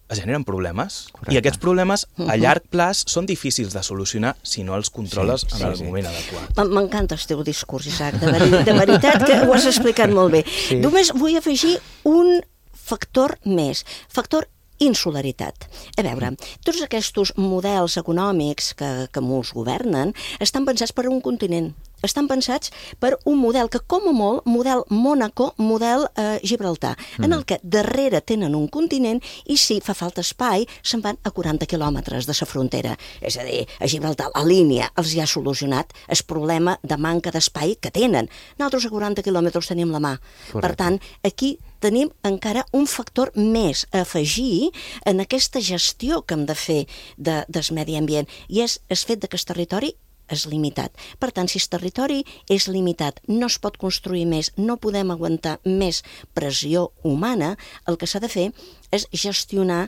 es generen problemes. Correcte. I aquests problemes, a llarg plaç, són difícils de solucionar si no els controles Sí, en sí, el sí. moment adequat. M'encanta el teu discurs, Isaac, de, veri de veritat que ho has explicat molt bé. Sí. Només vull afegir un factor més, factor insolidaritat. A veure, tots aquests models econòmics que, que molts governen estan pensats per a un continent. Estan pensats per un model que, com a molt, model Mònaco, model eh, Gibraltar, mm. en el que darrere tenen un continent i si fa falta espai, se'n van a quaranta quilòmetres de sa frontera. És a dir, a Gibraltar la línia els hi ha solucionat el problema de manca d'espai que tenen. Nosaltres a quaranta quilòmetres tenim la mà. Correcte. Per tant, aquí tenim encara un factor més a afegir en aquesta gestió que hem de fer de, del medi ambient, i és el fet de que el territori és limitat. Per tant, si el territori és limitat, no es pot construir més, no podem aguantar més pressió humana, el que s'ha de fer és gestionar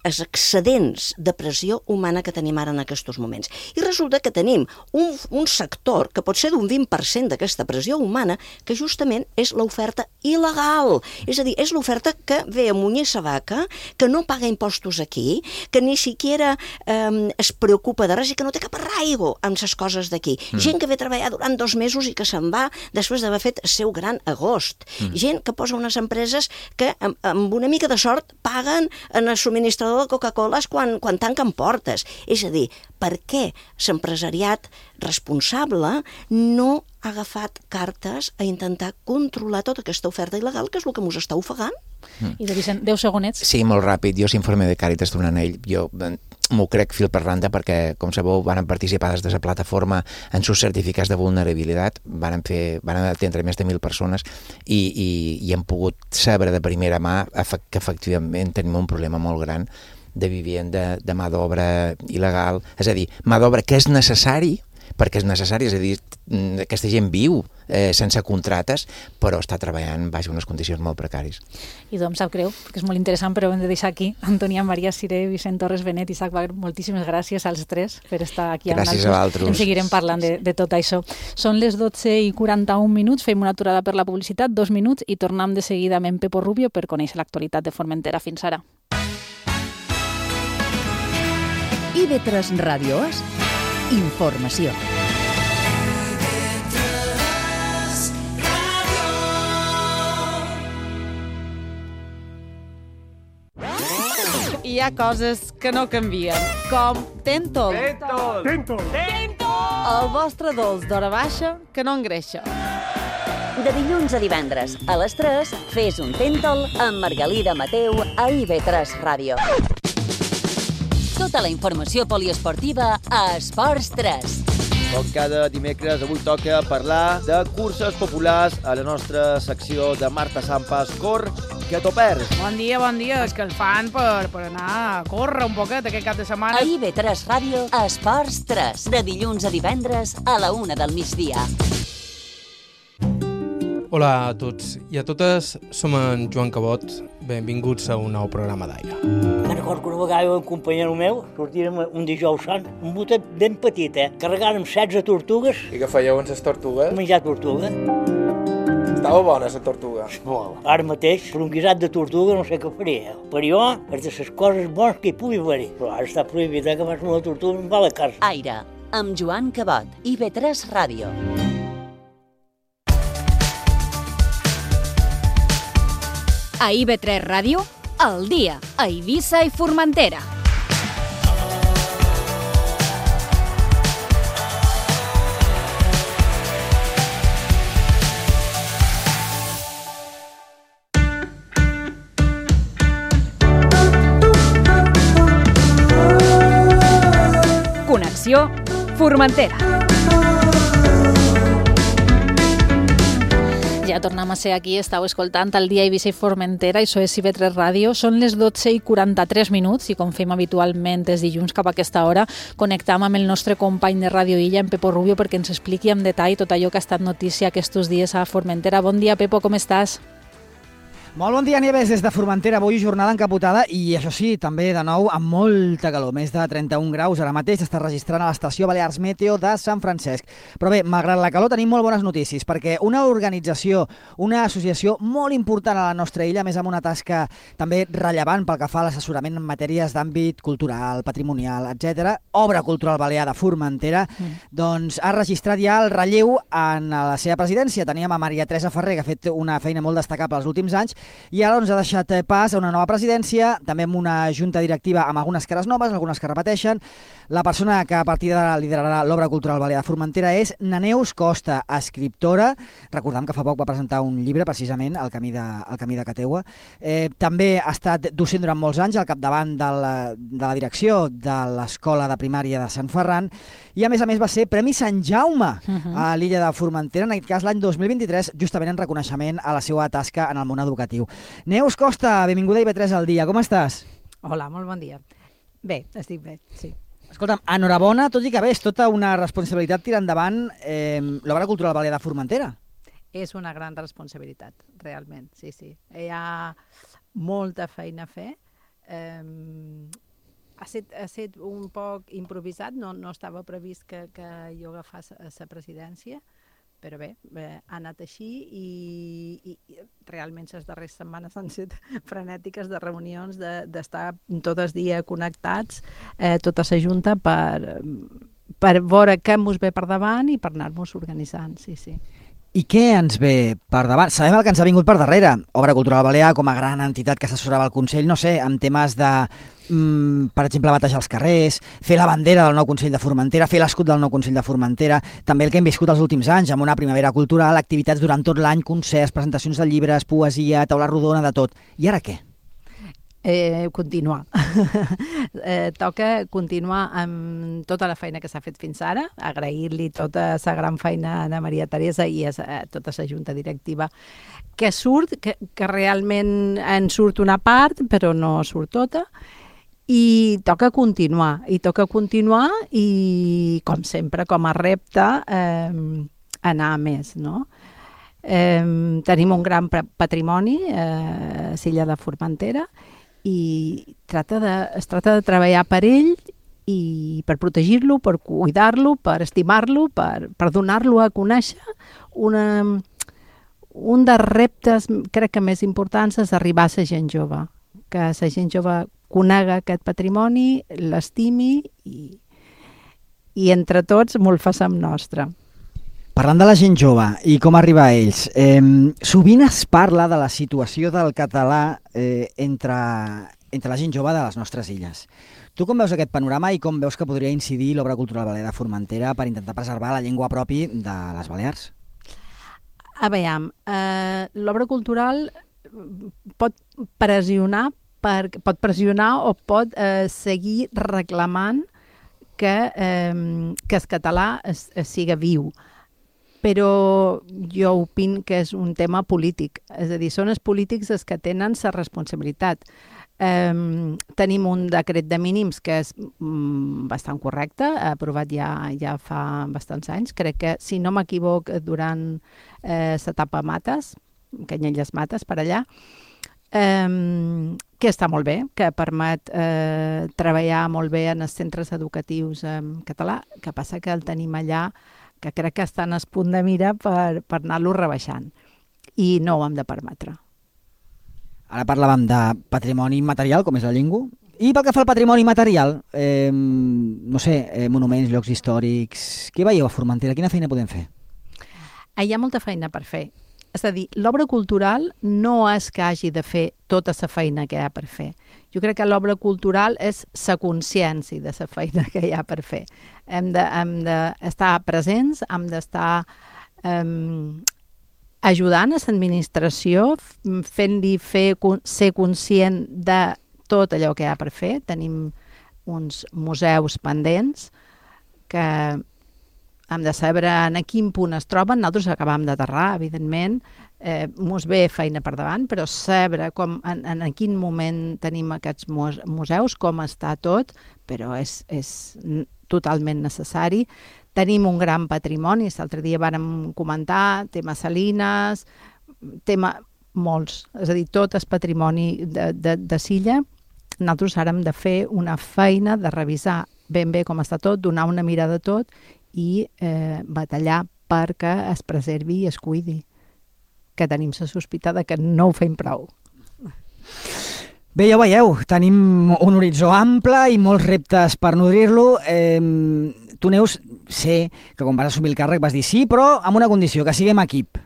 els excedents de pressió humana que tenim ara en aquests moments. I resulta que tenim un, un sector que pot ser d'un vint per cent d'aquesta pressió humana que justament és l'oferta il·legal. És a dir, és l'oferta que ve a munyir sa vaca, que no paga impostos aquí, que ni siquiera eh, es preocupa de res i que no té cap arraigo amb les coses d'aquí. Mm. Gent que ve a treballar durant dos mesos i que se'n va després d'haver fet el seu gran agost. Mm. Gent que posa unes empreses que amb, amb una mica de sort paguen en el subministrador de Coca-Cola quan, quan tanquen portes. És a dir, per què l'empresariat responsable no ha agafat cartes a intentar controlar tota aquesta oferta il·legal, que és el que ens està ofegant? Mm. I de Vicent, deu segonets. Sí, molt ràpid. Jo s'informe de Càritas d'un anell. Jo m'ho crec fil per randa perquè, com sabeu, van participar des de la plataforma en sus certificats de vulnerabilitat, van, fer, van atendre més de mil persones i, i, i hem pogut saber de primera mà que efectivament tenim un problema molt gran de vivenda, de mà d'obra il·legal, és a dir, mà d'obra que és necessari, perquè és necessari, és a dir, aquesta gent viu eh, sense contrates, però està treballant baix unes condicions molt precàries. I doncs sap greu, perquè és molt interessant, però ho hem de deixar aquí. Antònia Maria Siré, Vicent Torres Benet, Isaac Wagner, moltíssimes gràcies als tres per estar aquí amb nosaltres. Gràcies a vosaltres. En seguirem parlant de, de tot això. Són les dotze i quaranta-un minuts, fem una aturada per la publicitat, dos minuts, i tornem de seguida amb en Pepo Rubio per conèixer l'actualitat de Formentera. Fins ara. I ve tres Ràdio És informació. Hi ha coses que no canvien, com Tentol. Tentol! Tentol! Tentol! El vostre dolç d'hora baixa que no engreixa. De dilluns a divendres, a les tres, fes un Tentol amb Margalida Mateu a I V tres Ràdio. Tota la informació poliesportiva a Esports tres. Com cada dimecres, avui toca parlar de curses populars a la nostra secció de Marta Sampas, Cor, que t'ho perds. Bon dia, bon dia. És que el fan per, per anar a córrer un poquet aquest cap de setmana. A I V tres Ràdio, Esports tres, de dilluns a divendres a la una del migdia. Hola a tots i a totes, som en Joan Cabot, benvinguts a un nou programa d'aire. Me'n recordo que una vegada un companyero meu sortirem un dijous sant, un botet ben petit, eh? Carregàrem setze tortugues. I què fèieu amb les tortugues? Menjar tortuga. Estava bona la tortuga. Molt. Ara mateix, per un guisat de tortuga no sé què faria. Per jo, és de les coses bones que hi pugui haver-hi. Però ara està prohibit, eh, que fas una tortuga i em va a la casa. Aire, amb Joan Cabot, I V tres Ràdio. A I V tres Ràdio, al dia, a Eivissa i Formentera. Connexió Formentera. Ja tornem a ser aquí, estàu escoltant el dia Eivissa i Formentera, això és I V tres Ràdio. Són les dotze i quaranta-tres minuts i com fem habitualment els dilluns cap a aquesta hora, connectam amb el nostre company de Ràdio Illa, en Pepo Rubio, perquè ens expliqui en detall tot allò que ha estat notícia aquests dies a Formentera. Bon dia, Pepo, com estàs? Molt bon dia, Nieves, des de Formentera. Avui jornada encapotada i, això sí, també de nou amb molta calor. Més de trenta-un graus ara mateix està registrant a l'estació Balears Meteo de Sant Francesc. Però bé, malgrat la calor tenim molt bones notícies, perquè una organització, una associació molt important a la nostra illa, més amb una tasca també rellevant pel que fa a l'assessorament en matèries d'àmbit cultural, patrimonial, etcètera, Obra Cultural Balear de Formentera, mm. doncs ha registrat ja el relleu en la seva presidència. Teníem a Maria Teresa Ferrer, que ha fet una feina molt destacable els últims anys, i ara doncs, ha deixat pas a una nova presidència, també amb una junta directiva amb algunes cares noves, algunes que repeteixen. La persona que a partir d'ara liderarà l'Obra Cultural Balear de Formentera és Neus Costa, escriptora. Recordem que fa poc va presentar un llibre, precisament, El camí de, el camí de Cateua. Eh, també ha estat docent durant molts anys al capdavant de la, de la direcció de l'Escola de Primària de Sant Ferran i, a més a més, va ser Premi Sant Jaume uh-huh. a l'illa de Formentera, en aquest cas l'any dos mil vint-i-tres, justament en reconeixement a la seva tasca en el món educatiu. Neus Costa, benvinguda a I V tres al dia. Com estàs? Hola, molt bon dia. Bé, estic bé, sí. Escolta'm, enhorabona, tot i que bé, és tota una responsabilitat tirar endavant eh, l'Obra Cultural Balear de Formentera. És una gran responsabilitat, realment, sí, sí. Hi ha molta feina a fer. Eh, ha estat, ha estat un poc improvisat, no, no estava previst que, que jo agafés la presidència, però bé, bé, ha anat així i, i, i realment les darreres setmanes han estat frenètiques de reunions, d'estar de, tot el dia connectats, eh, tota la junta, per, per veure què ens ve per davant i per anar-nos organitzant, sí, sí. I què ens ve per davant? Sabem el que ens ha vingut per darrere. Obra Cultural Balear, com a gran entitat que assessorava el Consell, no sé, amb temes de, mm, per exemple, batejar els carrers, fer la bandera del nou Consell de Formentera, fer l'escut del nou Consell de Formentera, també el que hem viscut els últims anys, amb una primavera cultural, activitats durant tot l'any, concerts, presentacions de llibres, poesia, taula rodona, de tot. I ara què? Eh, continuar. eh, toca continuar amb tota la feina que s'ha fet fins ara, agrair-li tota la gran feina a Maria Teresa i a, a tota la junta directiva que surt, que, que realment en surt una part, però no surt tota, i toca continuar, i toca continuar i, com sempre, com a repte, eh, anar a més, no? Eh, tenim un gran patrimoni eh, a l'illa de Formentera, i tracta de, es tracta de treballar per ell i per protegir-lo, per cuidar-lo, per estimar-lo, per, per donar-lo a conèixer. Una, un dels reptes, crec que més importants, és arribar a la gent jove, que la gent jove conega aquest patrimoni, l'estimi i, i entre tots molt façam nostre. Parlant de la gent jove i com arribar a ells, eh, sovint es parla de la situació del català eh, entre, entre la gent jove de les nostres illes. Tu com veus aquest panorama i com veus que podria incidir l'Obra Cultural Balear de Formentera per intentar preservar la llengua pròpia de les Balears? A veure, eh, l'obra cultural pot pressionar, per, pot pressionar o pot eh, seguir reclamant que, eh, que el català es, es siga viu. Però jo opino que és un tema polític, és a dir, són els polítics els que tenen la responsabilitat. Eh, tenim un decret de mínims que és mm, bastant correcte, aprovat ja, ja fa bastants anys, crec que, si no m'equivoc, durant eh, l'etapa Mates, Canyelles Mates, per allà, eh, que està molt bé, que permet eh, treballar molt bé en els centres educatius en català, que passa que el tenim allà, que crec que estan al punt de mira per, per anar-lo rebaixant. I no ho hem de permetre. Ara parlàvem de patrimoni material, com és la llengua. I pel que fa al patrimoni material, eh, no sé, eh, monuments, llocs històrics... Què veieu a Formentera? Quina feina podem fer? Hi ha molta feina per fer. És a dir, l'obra cultural no és que hagi de fer tota la feina que hi ha per fer. Jo crec que l'obra cultural és la consciència de la feina que hi ha per fer. Hem de, hem d'estar presents, hem d'estar um, ajudant a l'administració, fent-li fer, ser conscient de tot allò que hi ha per fer. Tenim uns museus pendents que hem de saber en quin punt es troben. Nosaltres acabam d'aterrar, evidentment, eh, mos ve feina per davant, però saber com, en, en quin moment tenim aquests museus, com està tot, però és, és totalment necessari. Tenim un gran patrimoni, l'altre dia vàrem comentar, tema salines, tema molts. És a dir, tot el patrimoni de, de, de Silla. Nosaltres ara hem de fer una feina de revisar ben bé com està tot, donar una mirada a tot i eh, batallar perquè es preservi i es cuidi, que tenim la sospita de que no ho fem prou. Bé, ja ho veieu, tenim un horitzó ample i molts reptes per nodrir-lo. Eh, tu, Neus, sé que quan vas assumir el càrrec vas dir sí, però amb una condició, que siguem equip.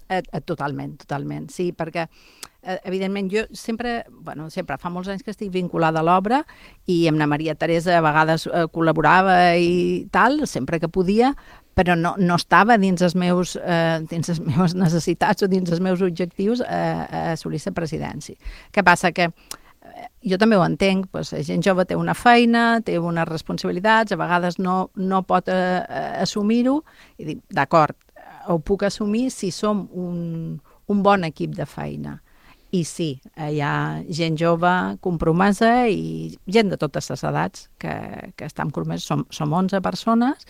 Eh, eh, totalment, totalment, sí, perquè eh, evidentment jo sempre, bueno, sempre fa molts anys que estic vinculada a l'obra i amb la Maria Teresa a vegades eh, col·laborava i tal, sempre que podia, però no, no estava dins les, meus, eh, dins les meves necessitats o dins els meus objectius eh, a assolir la presidència. Què passa? Que eh, jo també ho entenc, doncs, la gent jove té una feina, té unes responsabilitats, a vegades no, no pot eh, assumir-ho, i dic, d'acord, ho puc assumir si som un, un bon equip de feina. I sí, hi ha gent jove compromesa i gent de totes les edats que, que estan compromeses. Som, som onze persones,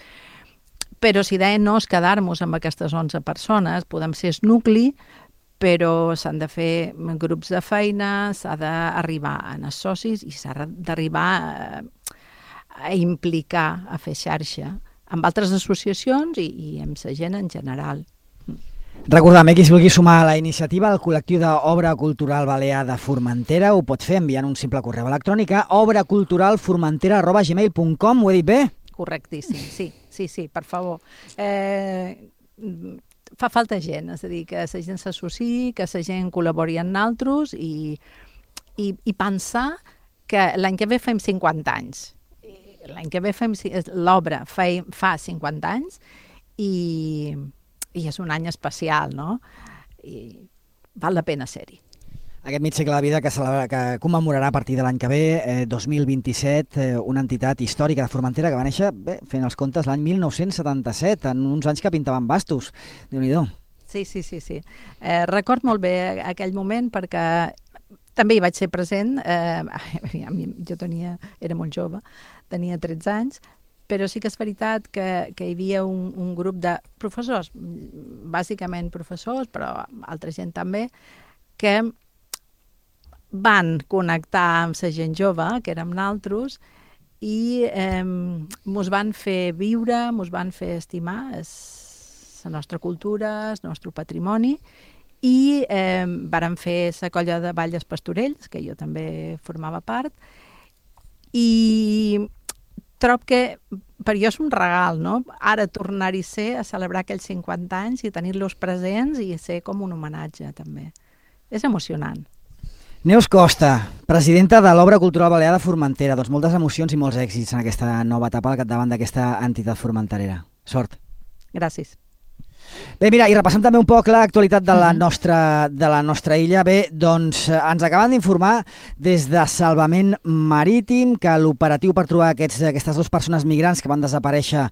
però si deien no és quedar-nos amb aquestes onze persones, podem ser el nucli, però s'han de fer grups de feina, s'ha d'arribar a els socis i s'ha d'arribar a, a implicar, a fer xarxa amb altres associacions i, i amb la gent en general. Recordem, eh, qui es vulgui sumar a la iniciativa, el col·lectiu d'Obra Cultural Balear de Formentera ho pot fer enviant un simple correu electrònic a obraculturalformentera arroba gmail punt com. Ho he dit bé? Correctíssim, sí, sí, sí, per favor. Eh, fa falta gent, és a dir, que la gent s'associï, que la gent col·labori amb nosaltres i, i, i pensar que l'any que ve fem cinquanta anys. L'any que ve fem l'obra fa cinquanta anys i, i és un any especial, no? I val la pena ser-hi. Aquest mig segle de vida que, celebra, que commemorarà a partir de l'any que ve, eh, dos mil vint-i-set, eh, una entitat històrica de Formentera que va néixer, bé, fent els comptes, l'any mil nou-cents setanta-set, en uns anys que pintaven bastos. Déu-n'hi-do. Sí, sí, sí. sí. Eh, record molt bé aquell moment perquè també hi vaig ser present. Eh, jo tenia, era molt jove, tenia tretze anys, però sí que és veritat que, que hi havia un, un grup de professors, bàsicament professors, però altra gent també, que van connectar amb la gent jove, que érem nosaltres, i eh, mos van fer viure, mos van fer estimar la nostra cultura, el nostre patrimoni, i eh, vàrem fer la colla de Ball dels Pastorells, que jo també formava part, i trob que per jo és un regal, no? Ara tornar-hi ser a celebrar aquells cinquanta anys i tenir-los presents i ser com un homenatge, també. És emocionant. Neus Costa, presidenta de l'Obra Cultural Balear de Formentera. Doncs moltes emocions i molts èxits en aquesta nova etapa al capdavant d'aquesta entitat formenterera. Sort. Gràcies. Bé, mira, i repassem també un poc l'actualitat de la nostra, de la nostra illa. Bé, doncs ens acaben d'informar des de Salvament Marítim que l'operatiu per trobar aquests, aquestes dues persones migrants que van desaparèixer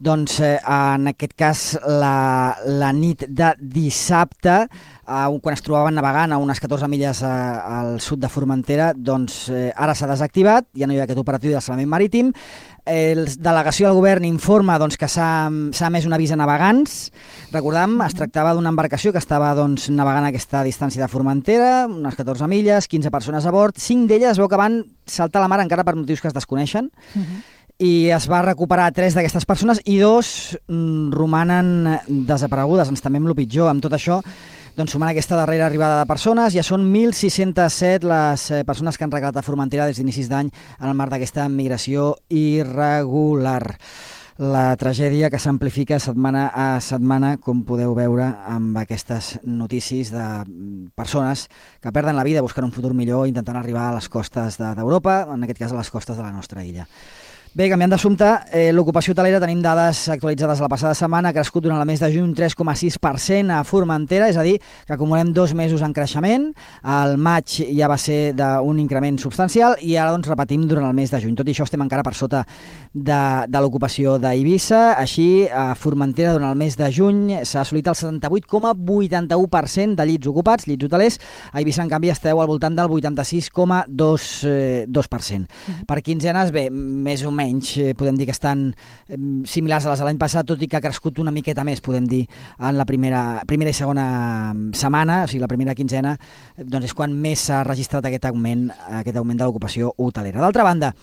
doncs, eh, en aquest cas la, la nit de dissabte, eh, quan es trobaven navegant a unes catorze milles eh, al sud de Formentera, doncs eh, ara s'ha desactivat, ja no hi ha aquest operatiu de Salvament Marítim. Eh, la delegació del govern informa doncs, que s'ha emès un avís a navegants. Recordem, es tractava d'una embarcació que estava doncs, navegant a aquesta distància de Formentera, unes catorze milles, quinze persones a bord, cinc d'elles es veu que van saltar a la mar encara per motius que es desconeixen. Uh-huh. I es va recuperar tres d'aquestes persones i dos mm, romanen desaparegudes. Ens temem el pitjor. Amb tot això, doncs, sumant aquesta darrera arribada de persones, ja són mil sis-cents set les eh, persones que han regalat a Formentera des d'inicis d'any en el marc d'aquesta migració irregular. La tragèdia que s'amplifica setmana a setmana, com podeu veure amb aquestes notícies de persones que perden la vida buscant un futur millor, intentant arribar a les costes d'Europa, en aquest cas a les costes de la nostra illa. Bé, canviant d'assumpte, eh, l'ocupació hotelera, tenim dades actualitzades la passada setmana, ha crescut durant el mes de juny un tres coma sis per cent a Formentera, és a dir, que acumulem dos mesos en creixement. Al maig ja va ser d'un increment substancial i ara doncs repetim durant el mes de juny. Tot i això estem encara per sota de, de l'ocupació d'Eivissa. Així, a Formentera durant el mes de juny s'ha assolit el setanta-vuit coma vuitanta-u per cent de llits ocupats, llits hotelers. A Eivissa, en canvi, esteu al voltant del vuitanta-sis coma dos per cent. Uh-huh. Per quinzenes, bé, més o menys almenys eh, podem dir que estan eh, similars a les de l'any passat, tot i que ha crescut una miqueta més, podem dir, en la primera, primera i segona setmana, o sigui, la primera quinzena, doncs és quan més s'ha registrat aquest augment, aquest augment de l'ocupació hotelera. D'altra banda,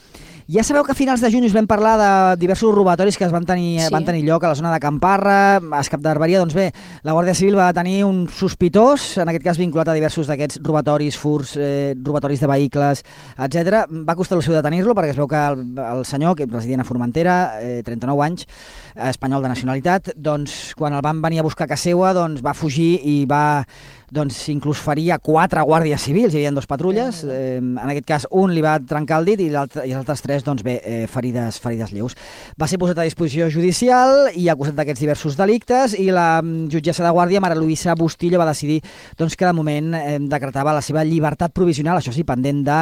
ja sabeu que a finals de juny us vam parlar de diversos robatoris que es van tenir, sí. van tenir lloc a la zona de Camparra, a Escap d'Arberia. Doncs bé, la Guàrdia Civil va tenir un sospitós, en aquest cas vinculat a diversos d'aquests robatoris, furts, eh, robatoris de vehicles, etcètera. Va costar el seu detenir-lo perquè es veu que el, el senyor, que resident a Formentera, eh, trenta-nou anys, eh, espanyol de nacionalitat, doncs quan el van venir a buscar a casa seva, doncs va fugir i va doncs inclús faria quatre guàrdies civils, hi havia dos patrulles, eh, en aquest cas un li va trencar el dit i, i els altres tres doncs bé, eh, ferides, ferides lleus. Va ser posat a disposició judicial i acusat d'aquests diversos delictes i la jutgessa de guàrdia, Mara Luisa Bustillo, va decidir doncs, que de moment eh, decretava la seva llibertat provisional, això sí, pendent de,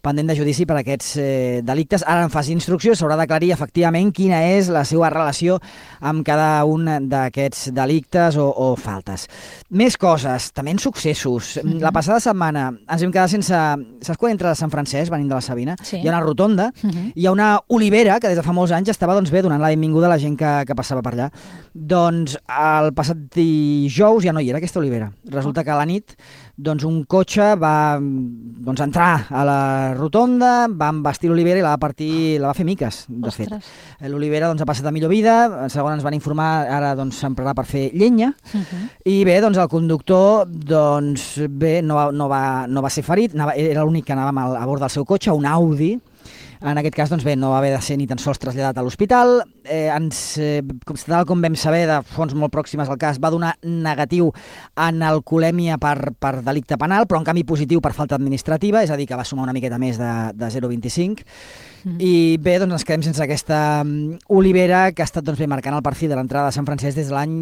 pendent de judici per aquests eh, delictes. Ara en fase d'instrucció s'haurà d'aclarir efectivament quina és la seva relació amb cada un d'aquests delictes o, o faltes. Més coses, també successos. Mm-hmm. La passada setmana ens vam quedar sense... Saps quan entra a Sant Francesc, venint de la Sabina? Sí. Hi ha una rotonda, mm-hmm. hi ha una olivera que des de fa molts anys estava doncs, bé donant la benvinguda a la gent que, que passava per allà. Doncs el passat dijous ja no hi era aquesta olivera. Resulta que a la nit doncs, un cotxe va doncs, entrar a la rotonda, va embastir l'olivera i la va partir, la va fer miques, de fet. L'olivera doncs, ha passat a millor vida, segons ens van informar, ara doncs, s'emprarà per fer llenya, uh-huh. i bé, doncs, el conductor doncs, bé, no, va, no, va, no va ser ferit, anava, era l'únic que anava a bord del seu cotxe, un Audi. En aquest cas, doncs bé, no va haver de ser ni tan sols traslladat a l'hospital. Eh, ens, eh, tal com vam saber de fonts molt pròximes al cas, va donar negatiu en alcoholèmia per, per delicte penal, però en canvi positiu per falta administrativa, és a dir, que va sumar una miqueta més de, de zero coma vint-i-cinc. Mm. I bé, doncs ens quedem sense aquesta um, olivera que ha estat doncs, bé, marcant el perfil de l'entrada de Sant Francesc des de l'any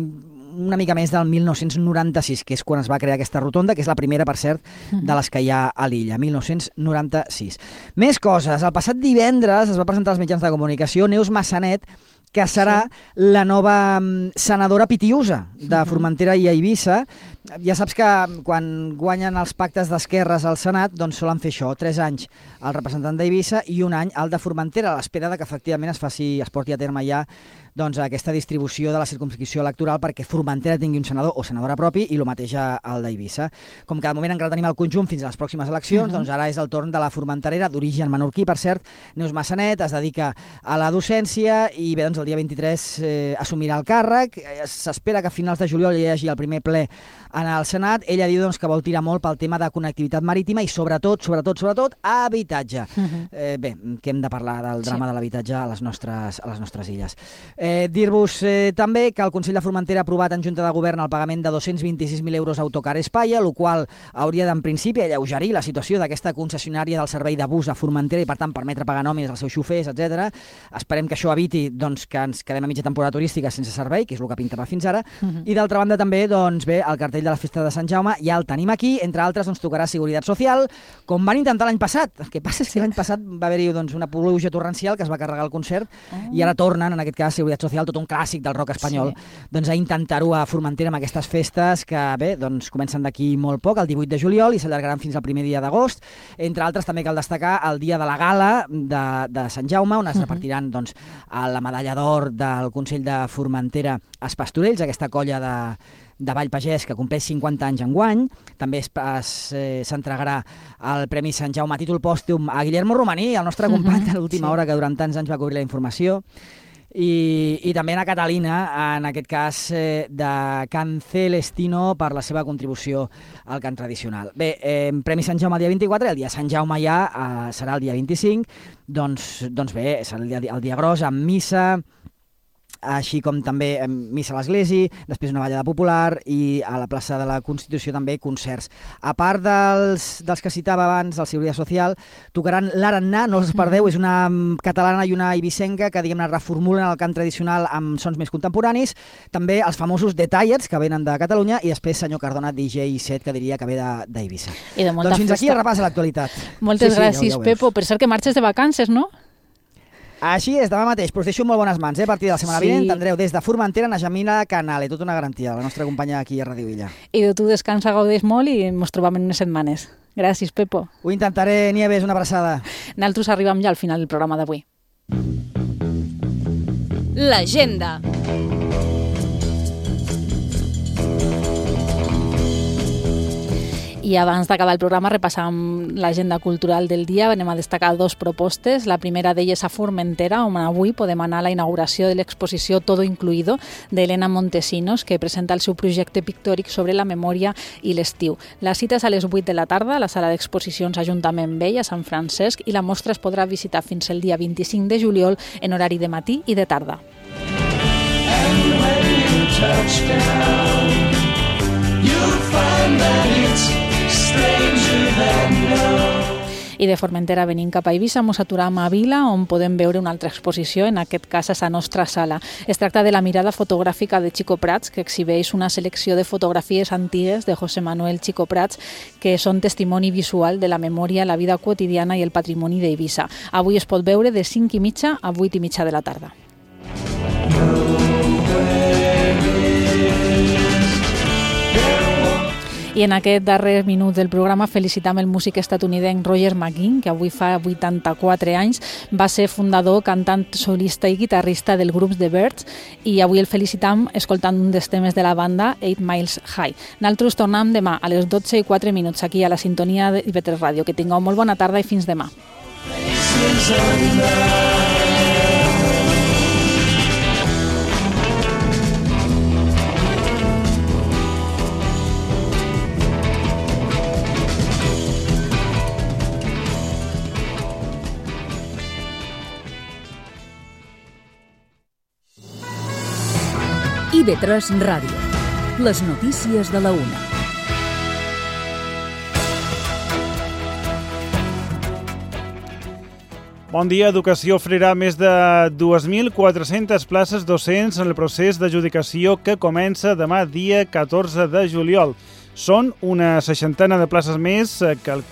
una mica més del mil nou-cents noranta-sis, que és quan es va crear aquesta rotonda, que és la primera, per cert, de les que hi ha a l'illa, mil nou-cents noranta-sis. Més coses. El passat divendres es va presentar als mitjans de comunicació Neus Massanet, que serà sí. la nova senadora pitiusa de Formentera i Eivissa. Ja saps que quan guanyen els pactes d'esquerres al Senat, doncs solen fer això, tres anys el representant d'Eivissa i un any el de Formentera, a l'espera de que efectivament es faci, es porti a terme ja doncs, aquesta distribució de la circumscripció electoral perquè Formentera tingui un senador o senadora propi i el mateix al d'Eivissa. Com que de moment encara tenim el conjunt fins a les pròximes eleccions, uh-huh. doncs ara és el torn de la formenterera, d'origen menorquí, per cert, Neus Massanet, es dedica a la docència i bé, doncs el dia vint-i-tres eh, assumirà el càrrec. S'espera que a finals de juliol hi hagi el primer ple en el Senat. Ella diu doncs, que vol tirar molt pel tema de connectivitat marítima i sobretot, sobretot, sobretot, habitatge. Uh-huh. eh, bé, que hem de parlar del drama sí. de l'habitatge a les nostres, a les nostres illes. Eh, Dir-vos eh, també que el Consell de Formentera ha aprovat en Junta de Govern el pagament de dos-cents vint-i-sis mil euros a Autocar España, el qual hauria d'en principi alleugerir la situació d'aquesta concessionària del servei de bus a Formentera i per tant permetre pagar nòmines als seus xofers, etcètera. Esperem que això eviti doncs, que ens quedem a mitja temporada turística sense servei, que és el que pintava fins ara. Uh-huh. I d'altra banda també doncs, bé, el cartell de la festa de Sant Jaume ja el tenim aquí, entre altres doncs, tocarà Seguretat Social, com van intentar l'any passat. El que passa és que l'any passat va haver-hi doncs, una pluja torrencial que es va carregar el concert uh-huh. i ara tornen, en aquest cas, Seguretat Social, tot un clàssic del rock espanyol, sí. doncs a intentar-ho a Formentera amb aquestes festes que, bé, doncs comencen d'aquí molt poc, el divuit de juliol, i s'allargaran fins al primer dia d'agost. Entre altres, també cal destacar el dia de la gala de, de Sant Jaume, on es uh-huh. repartiran doncs, la medalla d'or del Consell de Formentera als Pastorells, aquesta colla de de Vall Pagès, que compleix cinquanta anys enguany. També s'entregarà el Premi Sant Jaume a títol pòstum a Guillermo Romaní, el nostre company de l'última sí. hora, que durant tants anys va cobrir la informació. I, i també a Catalina, en aquest cas eh, de Can Celestino, per la seva contribució al cant tradicional. Bé, eh, Premi Sant Jaume el dia vint-i-quatre, el dia Sant Jaume ja eh, serà el dia vint-i-cinc, doncs, doncs bé, serà el dia, el dia gros, amb missa, així com també missa a l'església, després una ballada popular i a la plaça de la Constitució també concerts. A part dels, dels que citava abans, del Seguretat Social, tocaran l'Arannà, no els perdeu, és una catalana i una eivissenca que diguem-ne reformulen el cant tradicional amb sons més contemporanis, també els famosos The Tires, que venen de Catalunya, i després senyor Cardona, D J set, que diria que ve d'Eivissa. Doncs fins aquí el repàs de l'actualitat. Moltes sí, sí, gràcies, ja, ja Pepo. Per cert que marxes de vacances, no? Així és, demà mateix, però us deixo molt bones mans, eh? A partir de la setmana sí. vinent tindreu des de Formentera a Jamila Canale, tota una garantia, la nostra companya aquí a Ràdio Illa. I de tu descansa, gaudeix molt i ens trobam en unes setmanes. Gràcies, Pepo. Ho intentaré, Nieves, una abraçada. Nosaltres arribem ja al final del programa d'avui. l'agenda. I abans d'acabar el programa repassam l'agenda cultural del dia. Anem a destacar dos propostes. La primera d'elles a Formentera, on avui podem anar a la inauguració de l'exposició Todo Incluido d'Helena Montesinos, que presenta el seu projecte pictòric sobre la memòria i l'estiu. La cita és a les vuit de la tarda a la sala d'exposicions Ajuntament Vell a Sant Francesc i la mostra es podrà visitar fins el dia vint-i-cinc de juliol en horari de matí i de tarda. And when you touch down, you'll find that it's I de Formentera venim cap a Eivissa, mos aturam a Vila, on podem veure una altra exposició, en aquest cas a la nostra sala. Es tracta de la mirada fotogràfica de Chico Prats, que exhibeix una selecció de fotografies antigues de José Manuel Chico Prats, que són testimoni visual de la memòria, la vida quotidiana i el patrimoni d'Eivissa. Avui es pot veure de cinc i mitja a vuit i mitja de la tarda. I en aquest darrer minut del programa felicitam el músic estatunidenc Roger McGuinn, que avui fa vuitanta-quatre anys, va ser fundador, cantant, solista i guitarrista del grup The Byrds, i avui el felicitam escoltant un dels temes de la banda, Eight Miles High. Nosaltres tornem demà a les dotze i quatre minuts aquí a la sintonia de I V tres Ràdio. Que tingueu molt bona tarda i fins demà. I V tres Ràdio. Les notícies de la una. Bon dia. Educació oferirà més de dos mil quatre-centes places docents en el procés d'adjudicació que comença demà dia catorze de juliol. Són una seixantena de places més que el